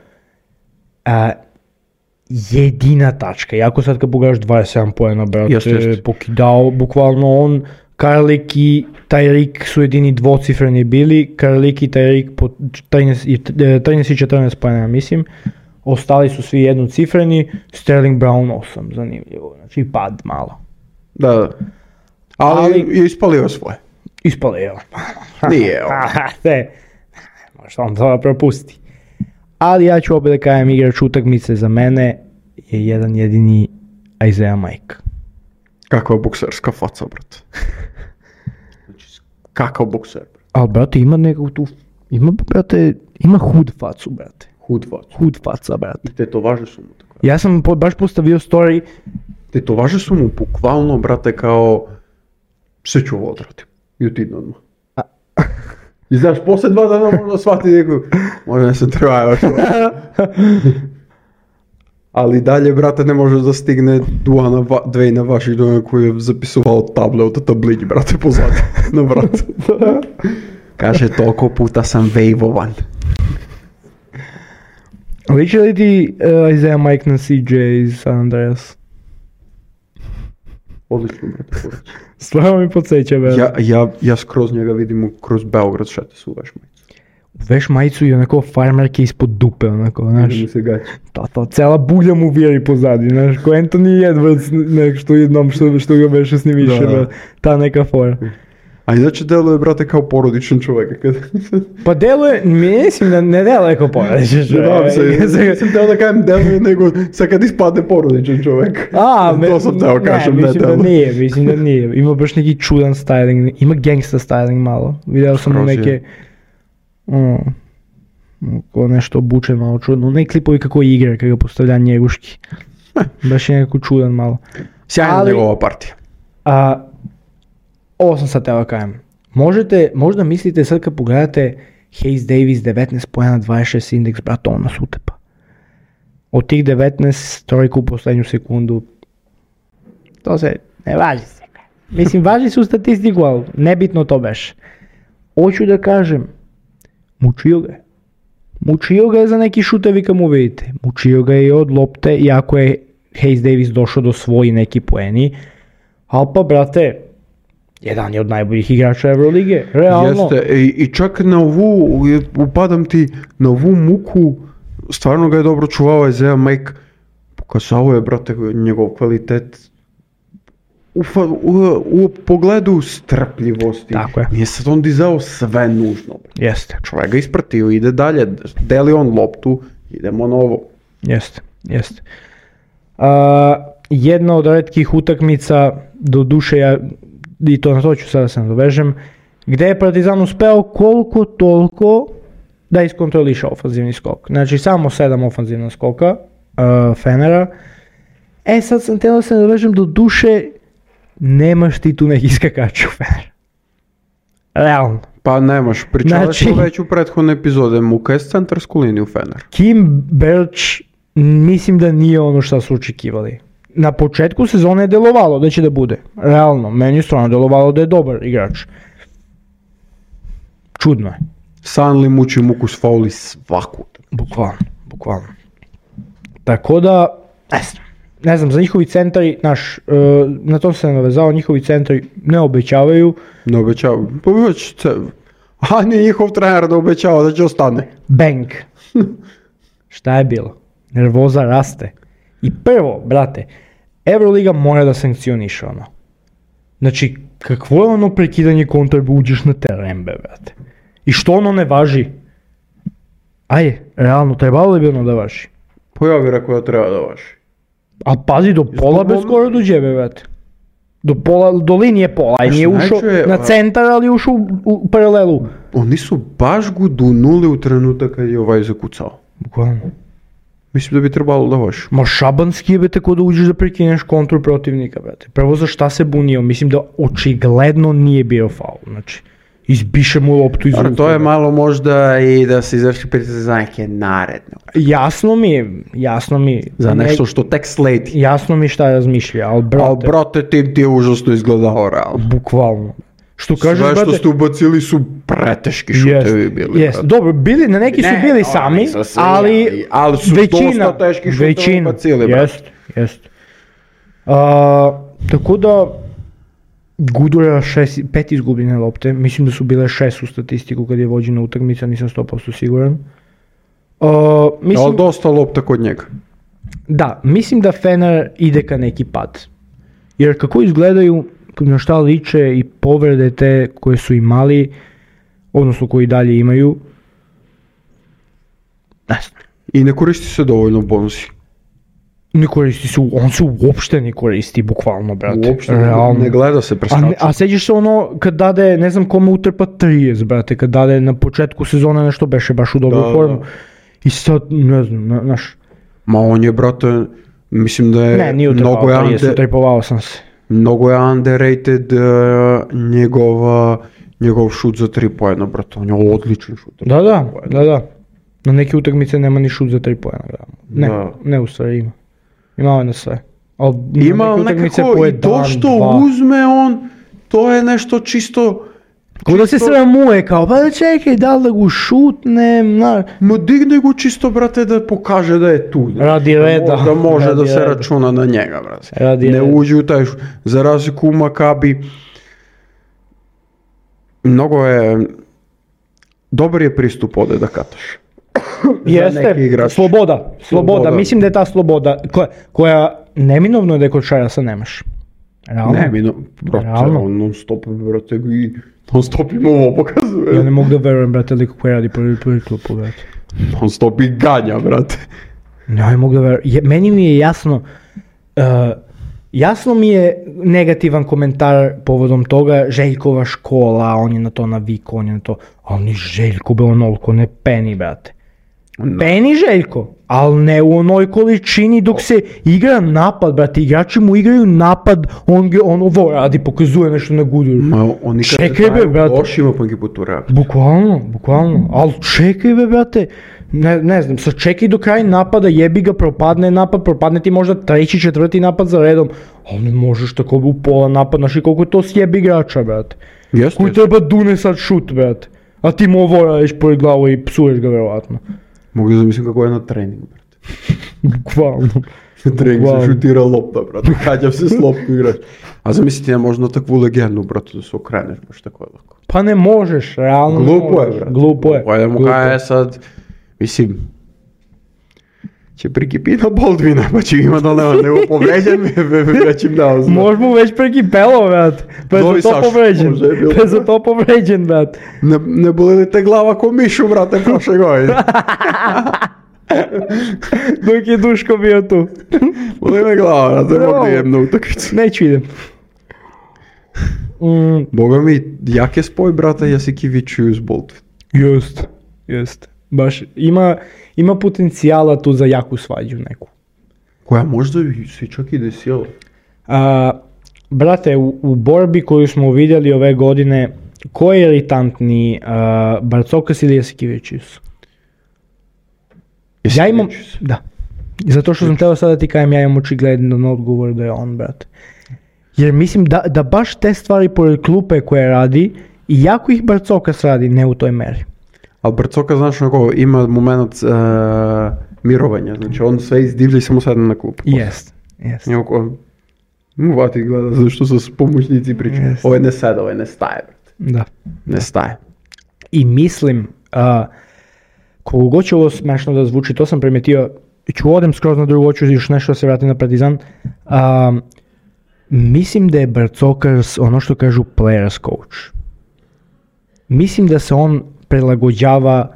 jedina tačka. Iako sad kad pogledaš 27 poena, brate, Jeste. pokidao, bukvalno on, Karlik i Tyreek su jedini dvocifreni bili, Karlik i Tyreek po 13 i 14 poena, mislim. Ostali su svi jednocifreni, Sterling Brown 8, zanimljivo, znači pad malo. Da. Ali je ispalio svoje. Ispalio. Nije on. Možda on to propusti. Ali ja ću opet da kažem, igrač utakmice za mene je jedan jedini Isaiah Mike. Kakva bokserska faca, brate. Znači, kakav bokser, brate. Ali brate, ima nekog tu, ima hud facu, brate. Hud faca, brate. I tetovaže su mu tako. Ja sam baš postavio story, Tetovaže su mu bukvalno, brate, kao sve ću ovo odrati. I utim odmah. I znaš, poslije 2 dana možda shvati neku, možda ne se treba još. Ali dalje, brate, ne može da stigne Duana Dwayna Washingtona koji je zapisovao table od tablić, brate, pozadi na vratu. Kaže, toliko puta sam vejvovan. liči li ti Isaiah Mike na CJ iz San Andreas? Odlično, brate. Stvarno mi podsjeća, brate. Ja skroz njega vidim kroz Beograd šete su u veš majicu. Veš majicu i onako farmerke ispod dupe, onako, znaš. Mi se gaći. To, cela bulja mu vjeri pozadi, znaš, ko Anthony Edwards, nešto jednom što ga beše s njim više, brate, ta neka fora. A inače deluje, brate, kao porodičan čovjek. Pa deluje, mislim da ne deluje kao porodičan čovjek. Nisam teo da kajem deluje, nego sad kad ispadne porodičan čovjek. To sam teo kažem, ne deluje. Mislim da nije. Ima baš neki čudan styling, ima gangsta styling malo. Video sam mu neke, ko nešto obučen malo čudno. Ne klipovi kako igra, kako ga postavlja njeguški. Baš je nekako čudan malo. Sjajna njegova partija. Ovo sam sad teo da kajem. Možda mislite sad kad pogledate Hayes Davis 19 pojena 26 indeks, brate, on nas utepa. Od tih 19 trojku u posljednju sekundu, to se ne važi se. Mislim, važi su statistiku, ali nebitno to beš. Hoću da kažem, mučio ga je. Mučio ga je za neki šutevi kad mu vidite. Mučio ga je i od lopte, iako je Hayes Davis došao do svoji neki poeni. Ali pa, brate, jedan je od najboljih igrača Eurolige, realno. Jeste, i čak na ovu, upadam ti, na ovu muku, stvarno ga je dobro čuvao Isaiah Mike, pokazao je, brate, njegov kvalitet u pogledu strpljivosti. Tako je. Nije sad on dizao sve nužno. Jeste. Čovjek ga ispratio, ide dalje, deli on loptu, idemo na ovo. Jeste. Jedna od retkih utakmica, do duše ja, i to na to ću sada se nadovežem, gdje je Partizan uspeo koliko toliko da iskontroliša ofanzivni skok. Znači samo 7 ofanzivna skoka Fenera. Sad sam htio da se nadovežem, do duše nemaš ti tu neki skakač u Fener. Realno. Pa nemaš, pričali smo Znači, već u prethodne epizode, muka je centarsku liniju Fener. Kim Birch mislim da nije ono što su očekivali. Na početku sezone je delovalo da će da bude. Realno, meni je stvarno delovalo da je dobar igrač. Čudno je. Sanli muči muku s fauli svaku. Bukvalno. Tako da, ne znam, za njihovi centari, na to se ne navezao, njihovi centari ne obećavaju. Ne obećava. Pa već a nije njihov trener da obećava da će ostane. Bang. Šta je bilo? Nervoza raste. I prvo, brate, Euroliga mora da sankcioniše ono. Znači, kakvo je ono prekidanje kontra, uđeš na teren, brate. I što ono ne važi? Ajde, realno, trebalo li bi ono da važi? Pa ja bih rekao da treba da važi. A pazi, do pola bez skoro dođe, brate. Do linije pola, i nije ušao na centar, ali je ušao u paralelu. Oni su baš gudunuli u trenutak kad je ovaj zakucao. Bukvalno. Mislim da bi trebalo da važi. Ma šabanski je tako da uđeš da prekineš kontru protivnika, brate. Prvo za šta se bunio, mislim da očigledno nije bio faul, znači. Izbiše mu loptu iz ruke. To je malo možda i da se izvrši pritisak za neke naredne. Jasno mi. Za nešto što tek sledi. Jasno mi šta razmišlja, ali brate, tim ti je užasno izgledao realno. Bukvalno. Što kažeš, sve što ste ubacili su preteški šutevi bili. Jest, dobro, neki su bili sami, ali su dosta teški šutevi ubacili. Jest. Tako da, Gudura 5 izgubljene lopte, mislim da su bile 6 u statistiku kad je vođena utakmica, nisam 100% siguran. Ali dosta lopta kod njega. Da, mislim da Fener ide ka neki pad. Jer kako izgledaju, na šta liče i povrede te koje su imali, odnosno koji dalje imaju, ne znam. I ne koristi se dovoljno bonusi. Ne koristi se, on se uopšte ne koristi, bukvalno, brate. Uopšte ne gleda se preskača. A seđeš se ono kad dade, ne znam kome utrpa 30, brate, kad dade na početku sezone nešto beše baš u dobru formu. I sad, ne znam, znaš. Ma on je, brate, mislim da je... Ne, nije utrpao 30, utrpovao sam se. Mnogo je underrated njegov šut za 3 poena, brate, on je odličan šut. Da. Na neke utakmice nema ni šut za 3 poena. Ne u stvari ima. Imao je na sve. Ima nekako i to što uzme on, to je nešto čisto... Kako da se sramuje kao, pa čekaj, da li da ga šutnem, Ma digne go čisto, brate, da pokaže da je tu. Radi reda. Da može da se računa na njega, brate. Ne uđe u taj šut. Za razliku u Makabi, mnogo je... Dobar je pristup ovdje da kataš. Jeste, sloboda, mislim da je ta sloboda koja neminovno je da je kod Šarasa nemaš. Neminovno, brate, on non stop, brate, i non stop im ovo pokazuje. Ja ne mogu da verujem, brate, liko koji radi prvi klupu, brate. Non stop i ganja, brate. Ne mogu da verujem, meni mi je jasno mi je negativan komentar povodom toga, Željkova škola, on je na to navikao, on je na to, ali ni Željko be onoliko ne peni, brate. Peni Željko, ali ne u onoj količini dok se igra napad, brate, igrači mu igraju napad, on ovo radi, pokazuje nešto na Guduru. Oni kada traju lošima pa ekipu radi. Bukvalno, ali čekaj be, brate, ne znam, sačekaj do kraja napada, jebi ga, propadne ti možda 3. 4. napad za redom, ali ne možeš tako u pola napad, znaš i koliko je to sjebi igrača, brate. Koji treba dune sad šut, brate, a ti mu ovo radiš pored glavu i psuješ ga verovatno. Mogu da zamislim kako je na treningu, brate. Bukvalno. Na treningu se šutira lopta, brate, kađav se s loptu igraš. A zamislite, možda takvu legendu, brate, da se okreneš baš tako je lako. Pa ne možeš, realno. Glupo je, brate. Glupo je. Pojedemo kada je sad, mislim, će prikipiti na Baldwina, pa će ima da nego povređen, već im dao znam. Možemo već prikipelo, brate. Pa je za to povređen, brate. Ne boli li te glava ko mišu, brate, prošle godine? Dok je Duško bio tu. Boli me glava, brate, mogu da idem na utakmicu. Neću idem. Boga mi, jak je spoj, brate, Jasikeviću uz Baldwin. Jest. Baš, ima potencijala tu za jaku svađu neku. Koja možda se čak i desila. Brate, u borbi koju smo vidjeli ove godine, ko je iritantniji, Barcokas ili Jasikevičius? Ja imam, da. Zato što sam teo sada ti kajem, ja imam očigledan odgovor da je on, brate. Jer mislim da baš te stvari pored klupe koje radi, i jako ih Barcokas radi, ne u toj meri. Ali Barcoka, znaš, ima moment mirovanja, znači on sve izdivlja i samo sedne na klupu. Jest. Jeste. Iako, vati gleda zašto su pomoćnici pričaju. Jeste. Ovo ne sada, ovo ne staje, brate. Da. Ne staje. I mislim, koliko god će ovo smešno da zvuči, to sam primetio, ću odem skroz na drugo, ću još nešto da se vratim na Partizan. Mislim da je Barcokas ono što kažu players coach. Mislim da se on prilagođava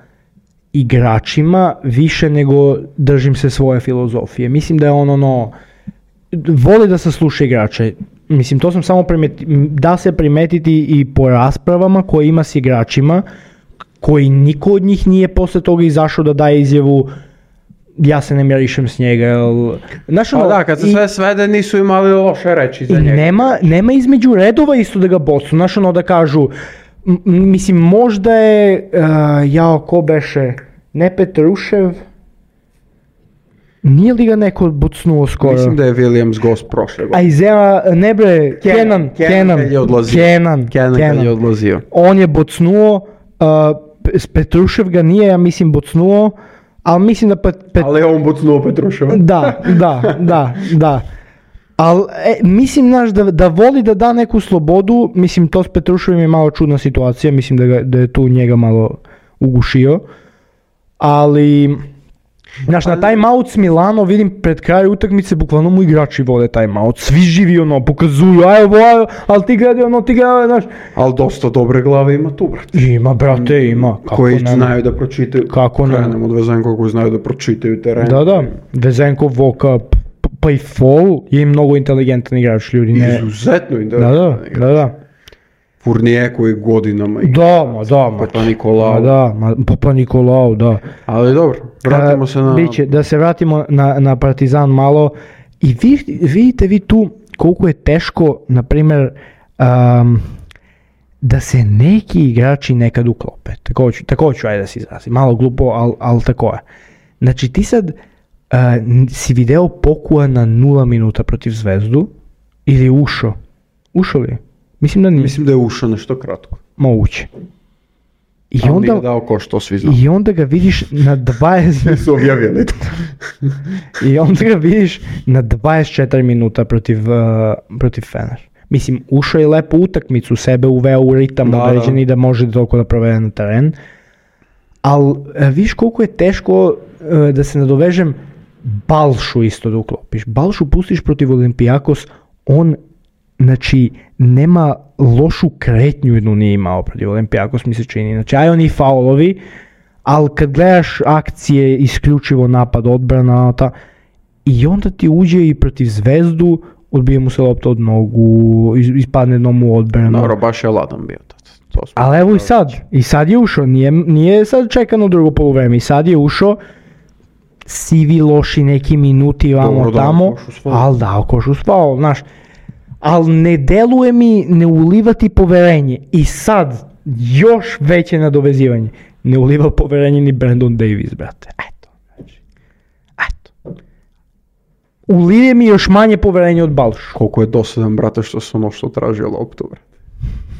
igračima više nego držim se svoje filozofije. Mislim da je on voli da se sluša igrače. Mislim, to sam samo da se primetiti i po raspravama koje ima s igračima, koji niko od njih nije posle toga izašao da daje izjavu ja se ne mjerišem s njega. Da, kad se sve svede nisu imali loše reči za njega. Nema između redova isto da ga bocu. Da kažu, mislim, možda je, ko beše, ne Petrušev, nije li ga neko bucnuo skoro? Mislim da je Williams gost prošle godine. A Izema, ne bre, Kenan je odlazio. On je bucnuo, Petrušev ga nije, ja mislim, bucnuo, ali mislim da ali je on bucnuo Petruševa. Da. Ali mislim, da voli da da neku slobodu, mislim, to s Petruševim je malo čudna situacija, mislim da je tu njega malo ugušio, ali... Znaš, na timeout s Milano vidim pred kraju utakmice, bukvalno mu igrači vode timeout, svi živi pokazuju, ali ti gledaj znaš. Ali dosta dobre glave ima tu, brate. Ima, brate, ima. Koji znaju da pročitaju, krenemo od Vezenkova koji znaju da pročitaju teren. Da, Vezenkov, Voka, pa i Fall je mnogo inteligentan igrač, ljudi. Izuzetno inteligentan igrač. Da. Fournier koji godinama Papa Nikolao, da. Ali dobro, vratimo se na... Da se vratimo na Partizan malo. I vidite vi tu koliko je teško, na primjer, da se neki igrači nekad uklope. Tako ću ajde da se izrazim. Malo glupo, ali tako je. Znači ti sad si video Pokua na 0 minuta protiv Zvezdu ili ušao? Ušao li? Mislim da je ušao nešto kratko. Moguće. Nije dao ko što svi znamo. I onda ga vidiš na 20... Su objavili to. I onda ga vidiš na 24 minuta protiv Fener. Mislim, ušao je lepo utakmicu, sebe uveo u ritam određeni da može toliko da provede na teren. Ali viš koliko je teško da se nadovežem, Balšu isto da uklopiš. Balšu pustiš protiv Olympiakos, on znači nema lošu kretnju jednu nije imao protiv Olympiakos, mi se čini. Znači, oni faulovi, ali kad gledaš akcije, isključivo napad, odbrana, i onda ti uđe i protiv Zvezdu, odbije mu se lopta od nogu, ispadne jednom u odbranu. Dobro, baš je ladan bio. Ali evo i sad je ušao, nije sad čekano drugo poluvreme, i sad je ušao, sivi loši neki minuti vamo tamo, ali dao košu s faul, znaš. Ali ne deluje mi ne ulivati poverenje. I sad, još veće nadovezivanje. Ne uliva poverenje ni Brandon Davis, brate. Eto. Ulije mi još manje poverenje od Balšu. Koliko je dosadan, brate, što se što tražio loptu, brate.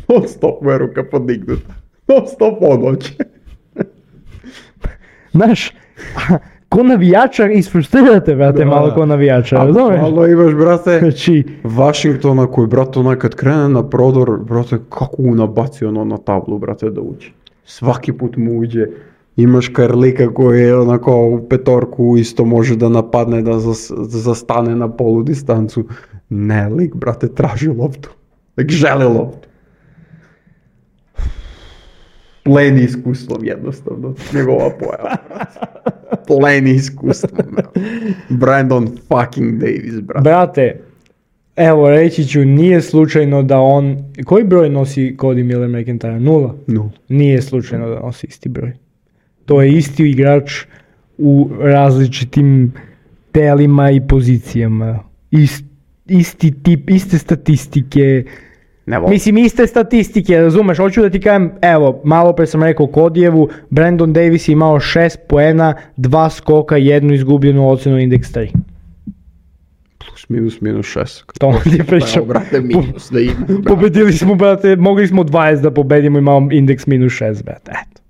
Non stop mu je ruka podignuta. Non stop odloče. Znaš, ko navijača isfrustrirate, brate, malo ko navijača, razumiješ? Malo imaš, brate, Washingtona koji, brate, kad krene na prodor, brate, kako mu nabaci na tablu, brate, da uđe. Svaki put mu uđe. Imaš Karlika koji je onako u petorku isto može da napadne, da zastane na polu distancu. Ne, lik, brate, traži loptu. Lik želi loptu. Pleni iskustvom jednostavno, njegova pojava, brate. Pleni iskustvom, Brandon fucking Davis, brate. Brate, evo reći ću, nije slučajno da on, koji broj nosi Cody Miller McIntyre? 0? Nije slučajno da nosi isti broj. To je isti igrač u različitim telima i pozicijama. Isti tip, iste statistike. Mislim, iste statistike, razumeš, hoću da ti kažem, evo, malo pre sam rekao Kodijevu, Brandon Davis je imao 6 poena, 2 skoka, 1 izgubljenu ocenu, indeks 3. Plus minus 6. To ti pričam. Brate, minus da ima. Pobedili smo, brate, mogli smo 20 da pobedimo, imamo indeks minus 6, brate, eto.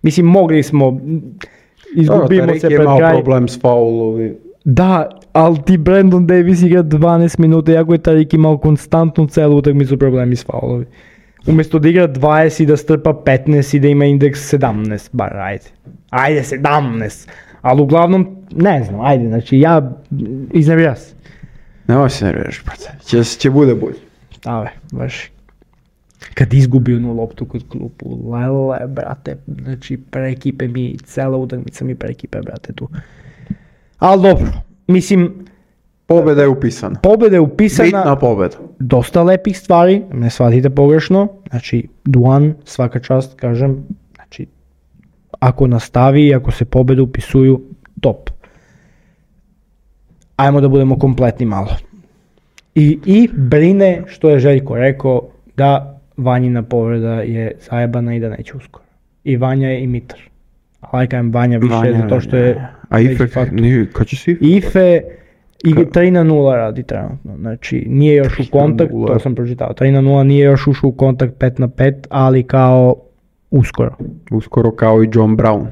Mislim, mogli smo, izgubimo se pred kraj. Tarek je imao problem s faulovi. Da, ali ti Brandon Davis igra 12 minuta, iako je Tarik imao konstantno celu utakmicu problemi s faulovi. Umjesto da igra 20 i da strpa 15 i da ima indeks 17, bar ajde 17, ali uglavnom, ne znam, ajde, znači ja iznervira se. Nemoj se nerviraš, brate, će bude bolje. Ave, baš. Kad izgubi onu loptu kod klupu, lele, brate, znači prekipe mi, cela utakmica mi prekipe, brate, tu. Ali dobro, mislim... Pobjeda je upisana. Pobjeda je upisana. Bitna pobjeda. Dosta lepih stvari, ne shvatite pogrešno, znači Duan, svaka čast, kažem, znači ako nastavi, ako se pobjede upisuju, top. Ajmo da budemo kompletni malo. I brine, što je Željko rekao, da Vanjina povreda je zajebana i da neće uskoro. I Vanja je i Mitar. Ali kajem Vanja više zato što je... A Ife, kad će si Ife? Ife 3-0 radi trenutno, znači nije još u kontakt, to sam pročitao, 3-0 nije još ušao u kontakt 5-5, ali kao uskoro. Uskoro kao i John Brown.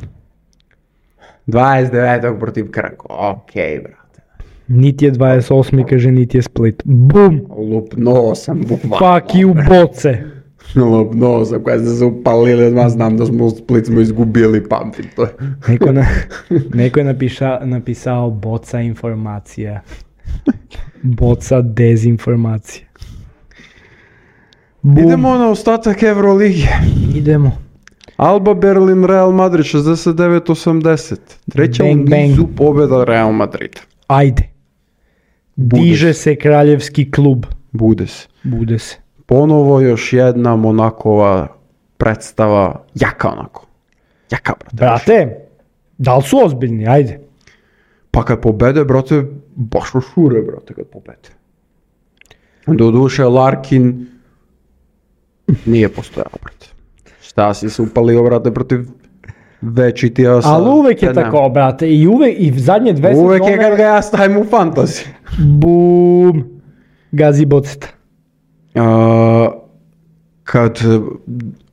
29. protiv Krka, okej, brate. Niti je 28. kaže, niti je Split. Bum! Lupno sam, bukvalno. Fuck you, boce! Lupno sam, kada ste se upalili, odmah znam da smo u Split smo izgubili, pamtim to. Neko je napisao boca informacija. Boca dezinformacija. Bum. Idemo na ostatak Euroligi. Idemo. Alba Berlin, Real Madrid 69-80. Treća Bang, u nizu bang. pobjeda Real Madrida. Ajde. Diže se kraljevski klub. Bude se. Ponovo još jedna Monakova predstava, jaka onako. Jaka, brate. Brate, da li su ozbiljni? Ajde. Pa kad pobede, brate, baš šure, brate, kad pobede. Doduše, Larkin nije postojao, brate. Šta si se upalio, brate, protiv večitija sa... Ali uvek je tako, brate, i zadnje dve sezone... Uvek je kad ga ja stavim u fantasy. Bum. Gazi boceta. Kad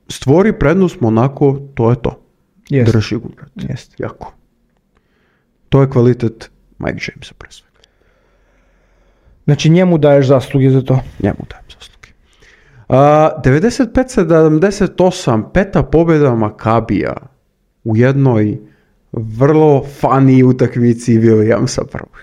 stvori prednost Monako, to je to. Jest. Drži ga, brate. Jest. Jako. To je kvalitet Mike Jamesa pre svega. Znači njemu daješ zasluge za to. Njemu dajem zasluge. 95-78, peta pobjeda Makabija u jednoj vrlo funny utakmici Williamsa prvog.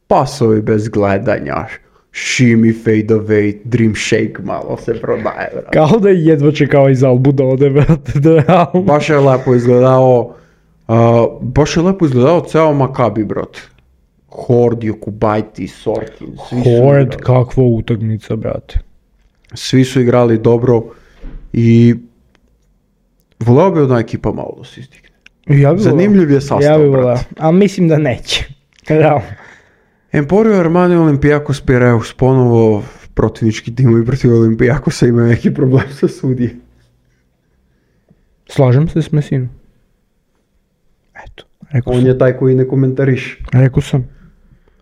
Pasovi bez gledanja, shimmy, fade away, dream shake malo se prodaje, brate. Kao da je jedva čekao iz Albu da ode, brate, da realno. Baš je lepo izgledao ceo Makabi, brate. Hord, Jokubajti, Sorkin, svi su Hord, igrali. kakva utakmica, brate. Svi su igrali dobro i voleo bi jedna ekipa malo da se izdigne. Ja bi Zanimljiv je sastav, ja bi voleo, brate. ali mislim da neće. Realno. Emporio Armani, Olympiakos, Piraeus, ponovo protivnički timovi protiv Olympiakosa imaju neki problem sa sudije. Slažem se s Messinom. Eto, rekao On sam. je taj koji ne komentariš. Rekao sam.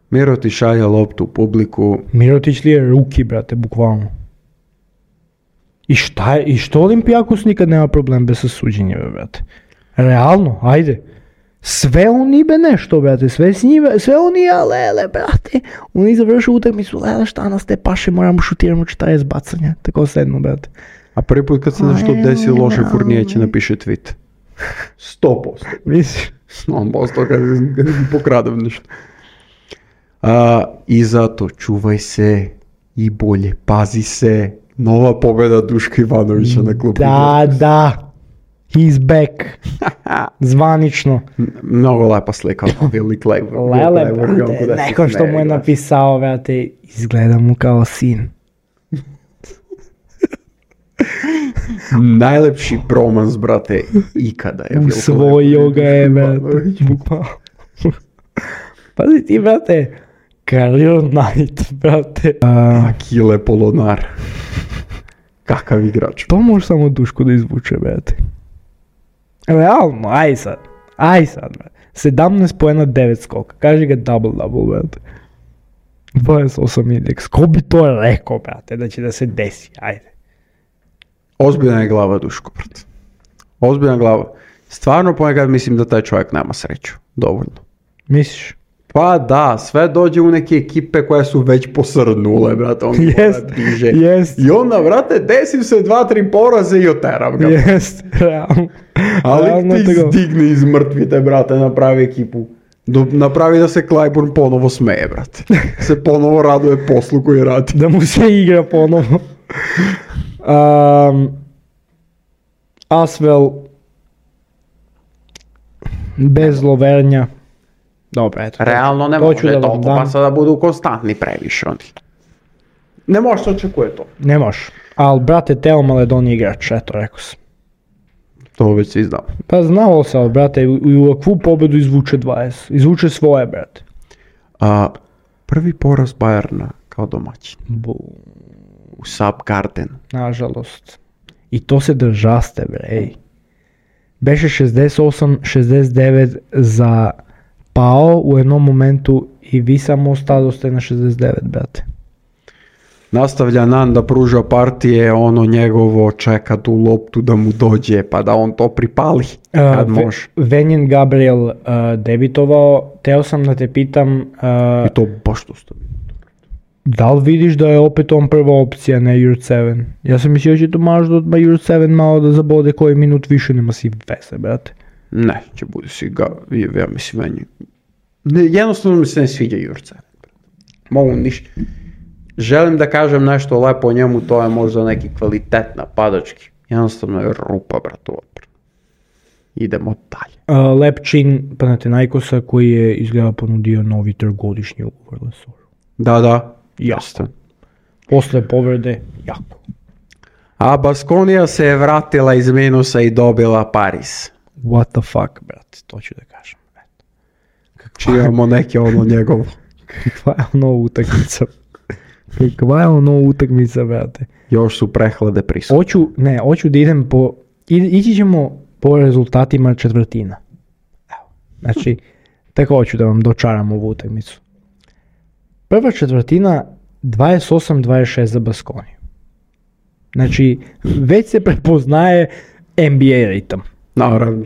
Mirotić šalje loptu u publiku. Mirotić li je ruki, brate, bukvalno. I što Olympiakos nikad nema problem bez suđenja, brate. Realno, ajde. Sve oni be nešto, brate, sve oni, lele, brate. Oni završu utakmicu, lele, šta nas te paše, moramo šutiramo 40 bacanja. Tako sedno, brate. A prvi put kad se nešto desi loše, Fournier će napiše tweet. 100%. Misliš? 100% kad pokradem nešto. I zato čuvaj se i bolje pazi se. Nova pobjeda Duška Ivanovića na klubu. Da. He's back. Zvanično. Mnogo lepa slika. Willi Clayburgh. Lele, brate, neko što mu je napisao, brate, izgleda mu kao sin. Najlepši bromans, brate, ikada je. Usvojio ga je, brate. Pazi ti, brate, Career Knight, brate. Akile Polonar. Kakav igrač. To može samo Duško da izvuče, brate. Realno, aj sad, brate. 17 poena, 9 skoka. Kaži ga double, brate. 28 indeks. Ko bi to rekao, brate, da će da se desi, ajde. Ozbiljna je glava, Duško, brate. Ozbiljna glava. Stvarno ponekad mislim da taj čovjek nema sreću. Dovoljno. Misliš? Pa da, sve dođe u neke ekipe koje su već posrnule, brate, on diže. I onda, brate, desi se 2-3 poraze i oterav ga. Jest, realno. Ali ti zdigne iz mrtvite, brate, napravi ekipu. Napravi da se Clyburn ponovo smeje, brate. Se ponovo raduje poslu koji radi. Da mu se igra ponovo. Asvel bez Lovernja. Dobro, eto. Realno ne može toliko, pa sada budu konstantni previše oni. Ne može se očekuje to. Ne može. Ali, brate, Teo Maledon je igrač, eto, rekao sam. To već si znao. Pa znao se, ali, brate, u ovakvu pobedu izvuče 20. Izvuče svoje, brate. Prvi poraz Bayerna kao domaćin. U Subgarden. Nažalost. I to se držaste, bre. Beše 68-69 za Pao u jednom momentu i vi samo ostadoste na 69, brate. Nastavlja Nan da pruža partije, ono njegovo čeka tu loptu da mu dođe pa da on to pripali kad može. Venjen Gabriel debitovao, teo sam da te pitam... I to baš to stavi. Da li vidiš da je opet on prva opcija, ne Jurtseven? Ja sam mislio će to možda da Jurtseven malo da zabode koji minut više, nema si veze, brate. Ne, će bude si ga, ja mislim Venjen. Jednostavno mi se ne sviđa Jurtseven. Mogu ništa. Želim da kažem nešto lepo o njemu, to je možda neki kvalitet napadački. Jednostavno je rupa, brate, odbrana. Idemo dalje. Lepčin Panathinaikosa koji je izgleda ponudio novi trogodišnji ugovor Lesoru. Da, jasno. Posle povrede, jako. A Baskonija se je vratila iz minusa i dobila Paris. What the fuck, brate, to ću da kažem. Čijamo neke ono njegovo. Kakva je ono utakmica? Kakva je ono utakmica, brate? Još su prehlade prisutne. Hoću da idem ići ćemo po rezultatima četvrtina. Evo, znači, tako hoću da vam dočaram ovu utakmicu. Prva četvrtina 28-26 za Baskoniju. Znači, već se prepoznaje NBA ritam. Naravno.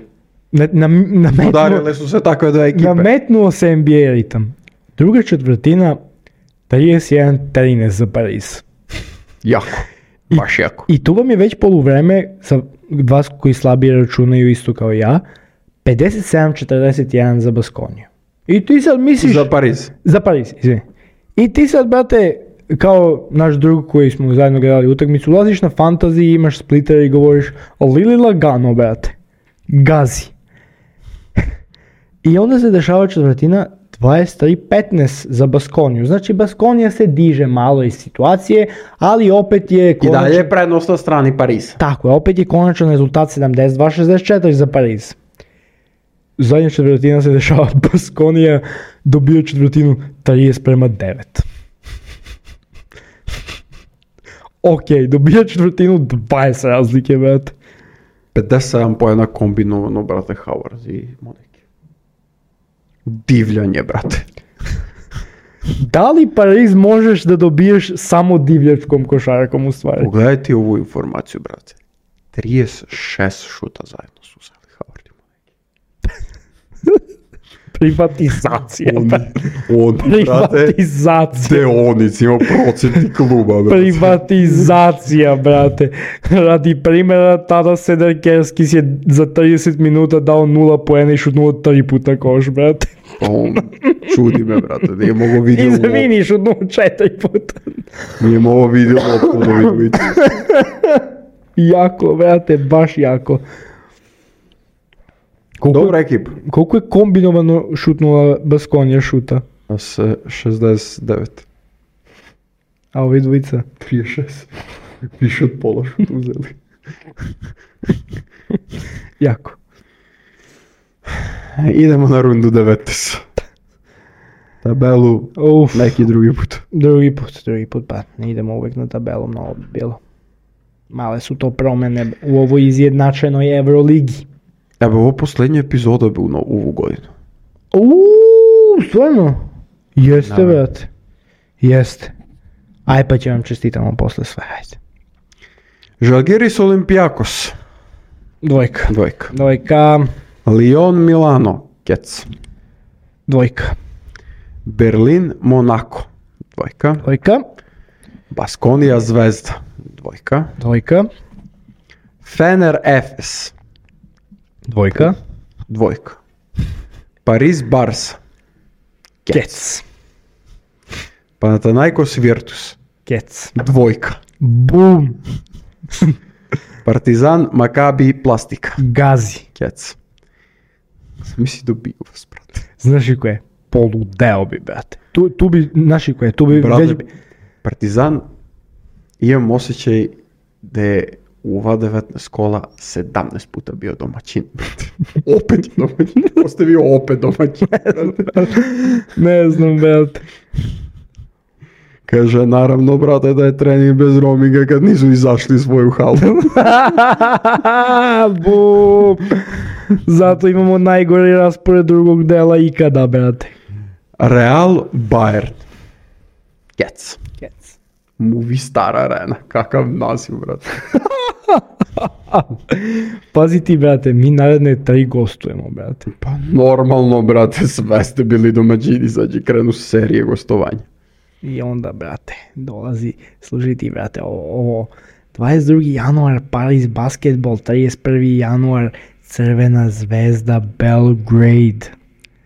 Udarile su se takve dve ekipe. Nametnuo se NBA ritam. Druga četvrtina 31-13 za Pariz. Jako. Baš jako. I tu vam je već poluvreme, za vas koji slabije računaju isto kao ja, 57-41 za Baskoniju. I ti sad misliš... Za Pariz, izvini. I ti sad, brate, kao naš drug koji smo zajedno gledali utakmicu, ulaziš na fantasy, imaš splitter i govoriš Lili lagano, brate. Gazi. I onda se dešava četvrtina 23-15 za Baskoniju. Znači Baskonija se diže malo iz situacije, ali opet je... I dalje je prednost na strani Pariza. Tako je, opet je konačan rezultat 72-64 za Pariz. Zadnja četvrtina se dešava, Baskonija dobija četvrtinu 30-9. Ok, dobija četvrtinu 20 razlike, brate. 57 pojena kombinovano, brate, Howard i Moneke. Divljanje, brate. Da li Pariz možeš da dobiješ samo divljačkom košarkom u stvari? Pogledaj ti ovu informaciju, brate. 36 šuta zajedno su uzeli Howard i Moneke. Privatizacija. Privatizacija. Deonici, ima procenti kluba, brate. Privatizacija, brate. Radi primjera, tada Sederkerskis je za 30 minuta dao 0 poena i šutnuo 3 puta koš, brate. Čudi me, brate, nije mogo vidio loptu. Izvini, šutnuo 4 puta. Nije mogo vidio loptu da vidio. Jako, brate, baš jako. Dobra ekipa. Koliko je kombinovano šutnula Baskonija šuta? 69. A ovi dvojica? 36. Više od pola šuta uzeli. Jako. Idemo na rundu 19. Tabelu neki drugi put. Drugi put, pa ne idemo uvijek na tabelu, mnogo bi bilo. Male su to promjene u ovoj izjednačenoj Euroligi. Evo, ovo posljednja epizoda bi u ovu godinu. Stvarno? Jeste, brate. Jeste. Aj pa će vam čestitamo posle sve, hajde. Žalgiris Olympiakos. Dvojka. Lyon Milano. Kec. Dvojka. Berlin, Monako, 2. Dvojka. Baskonija, Zvezda, 2. Dvojka. Fener, Efes, Dvojka. 2. Pariz, Barsa, Kec. Panathinaikos, Virtus, Kec. 2. Bum. Partizan, Makabi, Plastika, Gazi. Kec. Misli dobio vas, brate. Znaš li ko je? Poludeo bi, brate. Tu bi, znaš li ko je? Tu bi Brate, već... Partizan, imam osjećaj da je u ova 19 kola 17 puta bio domaćin. Opet je domaćin. Ostavio opet domaćin. Ne znam, brate. Kaže, naravno, brate, da je trening bez roaminga kad nisu izašli svoju halu. Bum. Zato imamo najgori raspored drugog dela ikada, brate. Real, Bayern. Kec. Kec. Movistar Arena. Kakav naziv, brate. Pazi ti, brate, mi naredne 3 gostujemo, brate. Pa normalno, brate, sve ste bili domaćini, sad će krenu serije gostovanja. I onda, brate, dolazi, služi ti, brate, ovo 22. januar, Paris basketbol, 31. januar, Crvena zvezda, Belgrade.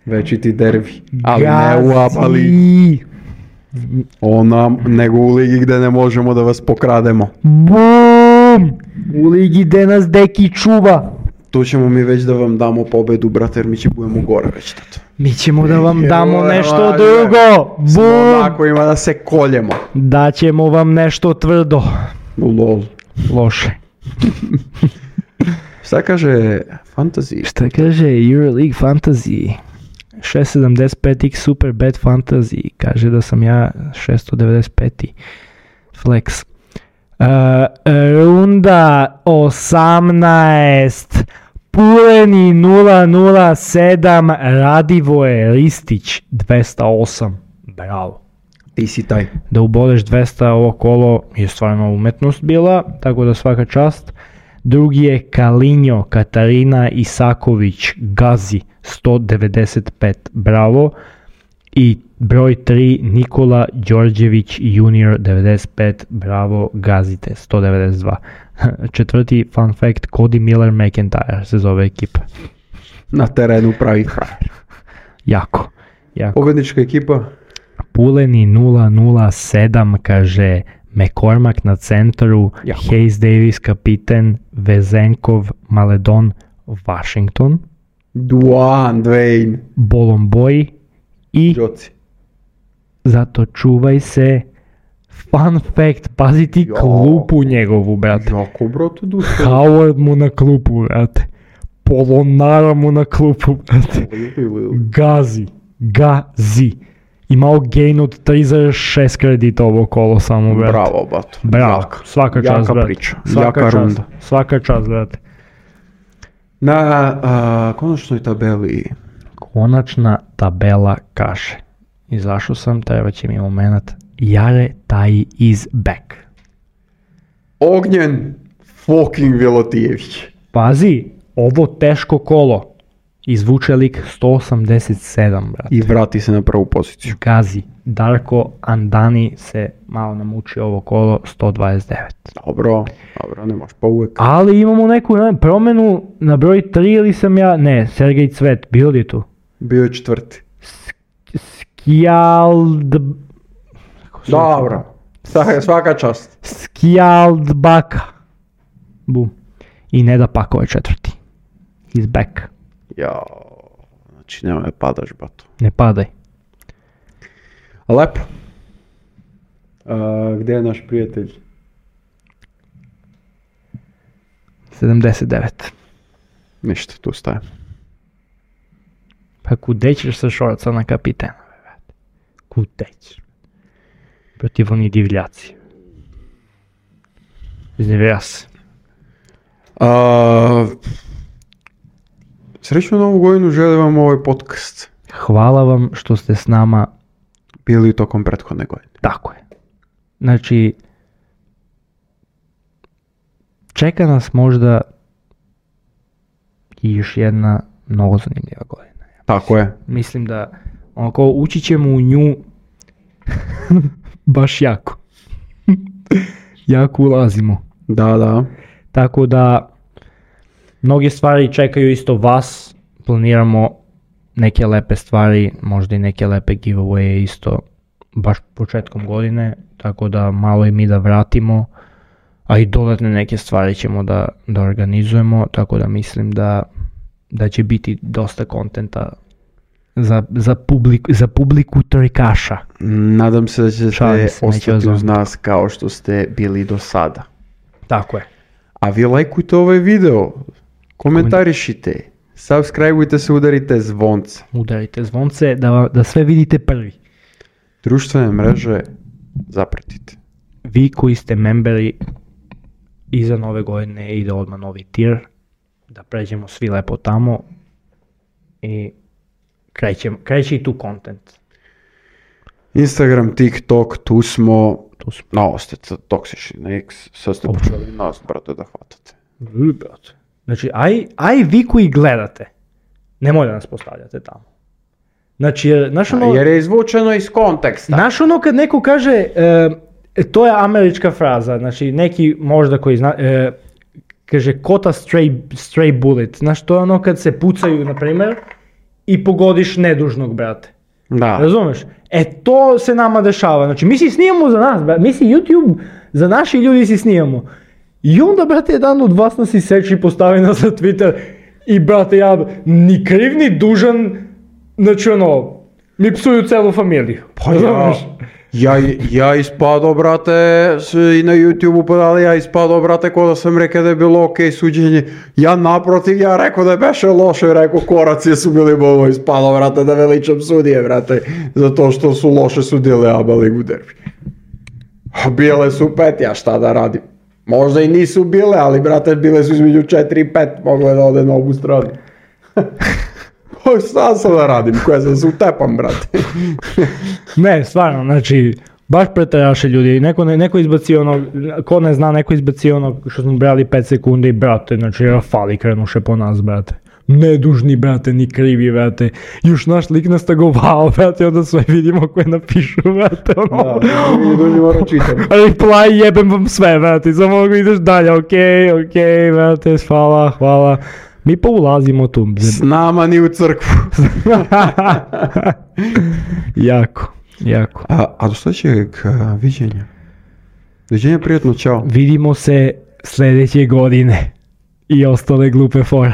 Veći ti derbi. Ali ne u Apali. Gazi. Nego u ligi gde ne možemo da vas pokrademo. Bum! U ligi gde nas deki čuva. Tu ćemo mi već da vam damo pobedu, brate, jer mi će budemo gore već tato. Mi ćemo da vam damo nešto drugo. Smo Bum! onako ima da se koljemo. Daćemo vam nešto tvrdo. Lol. Loše. Šta kaže Fantasy? Šta kaže Euroleague Fantasy? 675x Superbet Fantasy. Kaže da sam ja 695. Flex. Runda 18. Puleni 007. Radivoje Ristić 208. Bravo. Ti si taj. Da uboleš 200 ovo kolo je stvarno umetnost bila, tako da svaka čast. Drugi je Kalinjo Katarina Isaković Gazi 195, bravo. I broj 3 Nikola Đorđević junior 95, bravo, gazite 192. Četvrti fun fact, Cody Miller McIntyre se zove ekipa. Na terenu pravi frajer. Jako. Pobednička ekipa? Puleni 007, kaže McCormack na centru, Jako. Hayes Davis kapiten, Vezenkov Maledon Washington, Dwayne. Bolomboy i Joci. zato čuvaj se. Fun fact, pazi ti klupu njegovu, brate. Jako, brate, duše. Howard mu na klupu, brate. Polonara mu na klupu, brate. Gazi. Imao gain od 3,6 kredita ovo kolo samo, brate. Bravo, bato. Bravo, svaka čast, jaka brate. priča, Svaka jaka čast, runda. Svaka čast, brate. Na konačnoj tabeli. Konačna tabela kaže. Izašao sam, treba će mi moment. Jare Taji is back. Ognjen fucking Vilotijević. Pazi, ovo teško kolo. Izvuče lik 187, brate. I vrati se na prvu poziciju. Gazi. Darko Andani se malo namuči ovo kolo, 129. Dobro, nemaš pa uvek. Ali imamo neku promenu na broj 3 ili sam ja... Ne, Sergej Cvet, bio li je tu? Bio je četvrti. Dobro, svaka čast. Skjaldbaka. Bum. I Neda Pakova je četvrti. He's back. Jao, znači nema me padaš, bato. Ne padaj. Lepo. Gdje je naš prijatelj? 79. Ništa, tu stajem. Pa kude ćeš sa šorca na kapitena? Kude ćeš? Protiv oni divljaci. Iznevija se. Srećnu novu godinu, želim vam ovaj podcast. Hvala vam što ste s nama. Bili tokom prethodne godine. Tako je. Znači, čeka nas možda i još jedna mnogo zanimljiva godina. Tako je. Mislim da Onako, ući ćemo u nju baš jako. Jako ulazimo. Da. Tako da, mnoge stvari čekaju isto vas, planiramo neke lepe stvari, možda i neke lepe giveawaye isto baš početkom godine, tako da malo i mi da vratimo, a i dodatne neke stvari ćemo da organizujemo, tako da mislim da će biti dosta kontenta za publiku trikaša. Nadam se da ćete Šalim se, neće ostati uz ozvati. nas kao što ste bili do sada. Tako je. A vi lajkujte ovaj video, komentarišite, subscribeujte se, udarite zvonce. Udarite zvonce da sve vidite prvi. Društvene mreže zapratite. Vi koji ste memberi, iza nove godine ide odmah novi tier, da pređemo svi lepo tamo i kreće i tu content. Instagram, TikTok, tu smo. No, ste toksični na X, sad ste počeli nas, brate, da hvatate. Znači, aj vi koji gledate, nemoj da nas postavljate tamo. Znači, Jer je izvučeno iz konteksta. znaš ono kad neko kaže, to je američka fraza, znači neki možda koji zna, kaže caught a stray bullet, znaš to je ono kad se pucaju, na primjer, i pogodiš nedužnog, brate. Da. Razumeš? To se nama dešava, znači mi si snimamo za nas, brate, mi si YouTube, za naši ljudi si snimamo. I onda, brate, jedan od vas nas iseče i postavi nas na Twitter i, brate, ja ni kriv ni dužan, znači ono, mi psuju celu familiju. Pa ja ispado, brate, i na YouTube-u podali, ja ispado, brate, ko da sam rekao da je bilo okej suđenje. Ja naprotiv, ja rekao da je beše loše, rekao koraci su bili bovo ispado, brate, da veličam sudije, brate, zato što su loše sudile ABA ligu derbi. A bile su 5, ja šta da radim? Možda i nisu bile, ali, brate, bile su između 4 i 5, mogle da ode na obu stranu. Šta sam da radim, koja sam se utepam, brate. Ne, stvarno, znači, baš preteraše ljudi, neko izbacio ono, ko ne zna, neko izbacio ono što smo brali 5 sekundi, brate, znači Rafali krenuše po nas, brate. Nedužni, brate, ni krivi, brate, još naš lik nas tagovao, brate, onda sve vidimo koje napišu, brate, ono. Da, ne moram čitam. Reply, jebem vam sve, brate, samo mogu ideš dalje, okej, brate, hvala. Mi poulazimo tu. S nama ni u crkvu. Jako. A do sljedećeg viđenja. Viđenja, prijatno, čao. Vidimo se sljedeće godine i ostale glupe fore.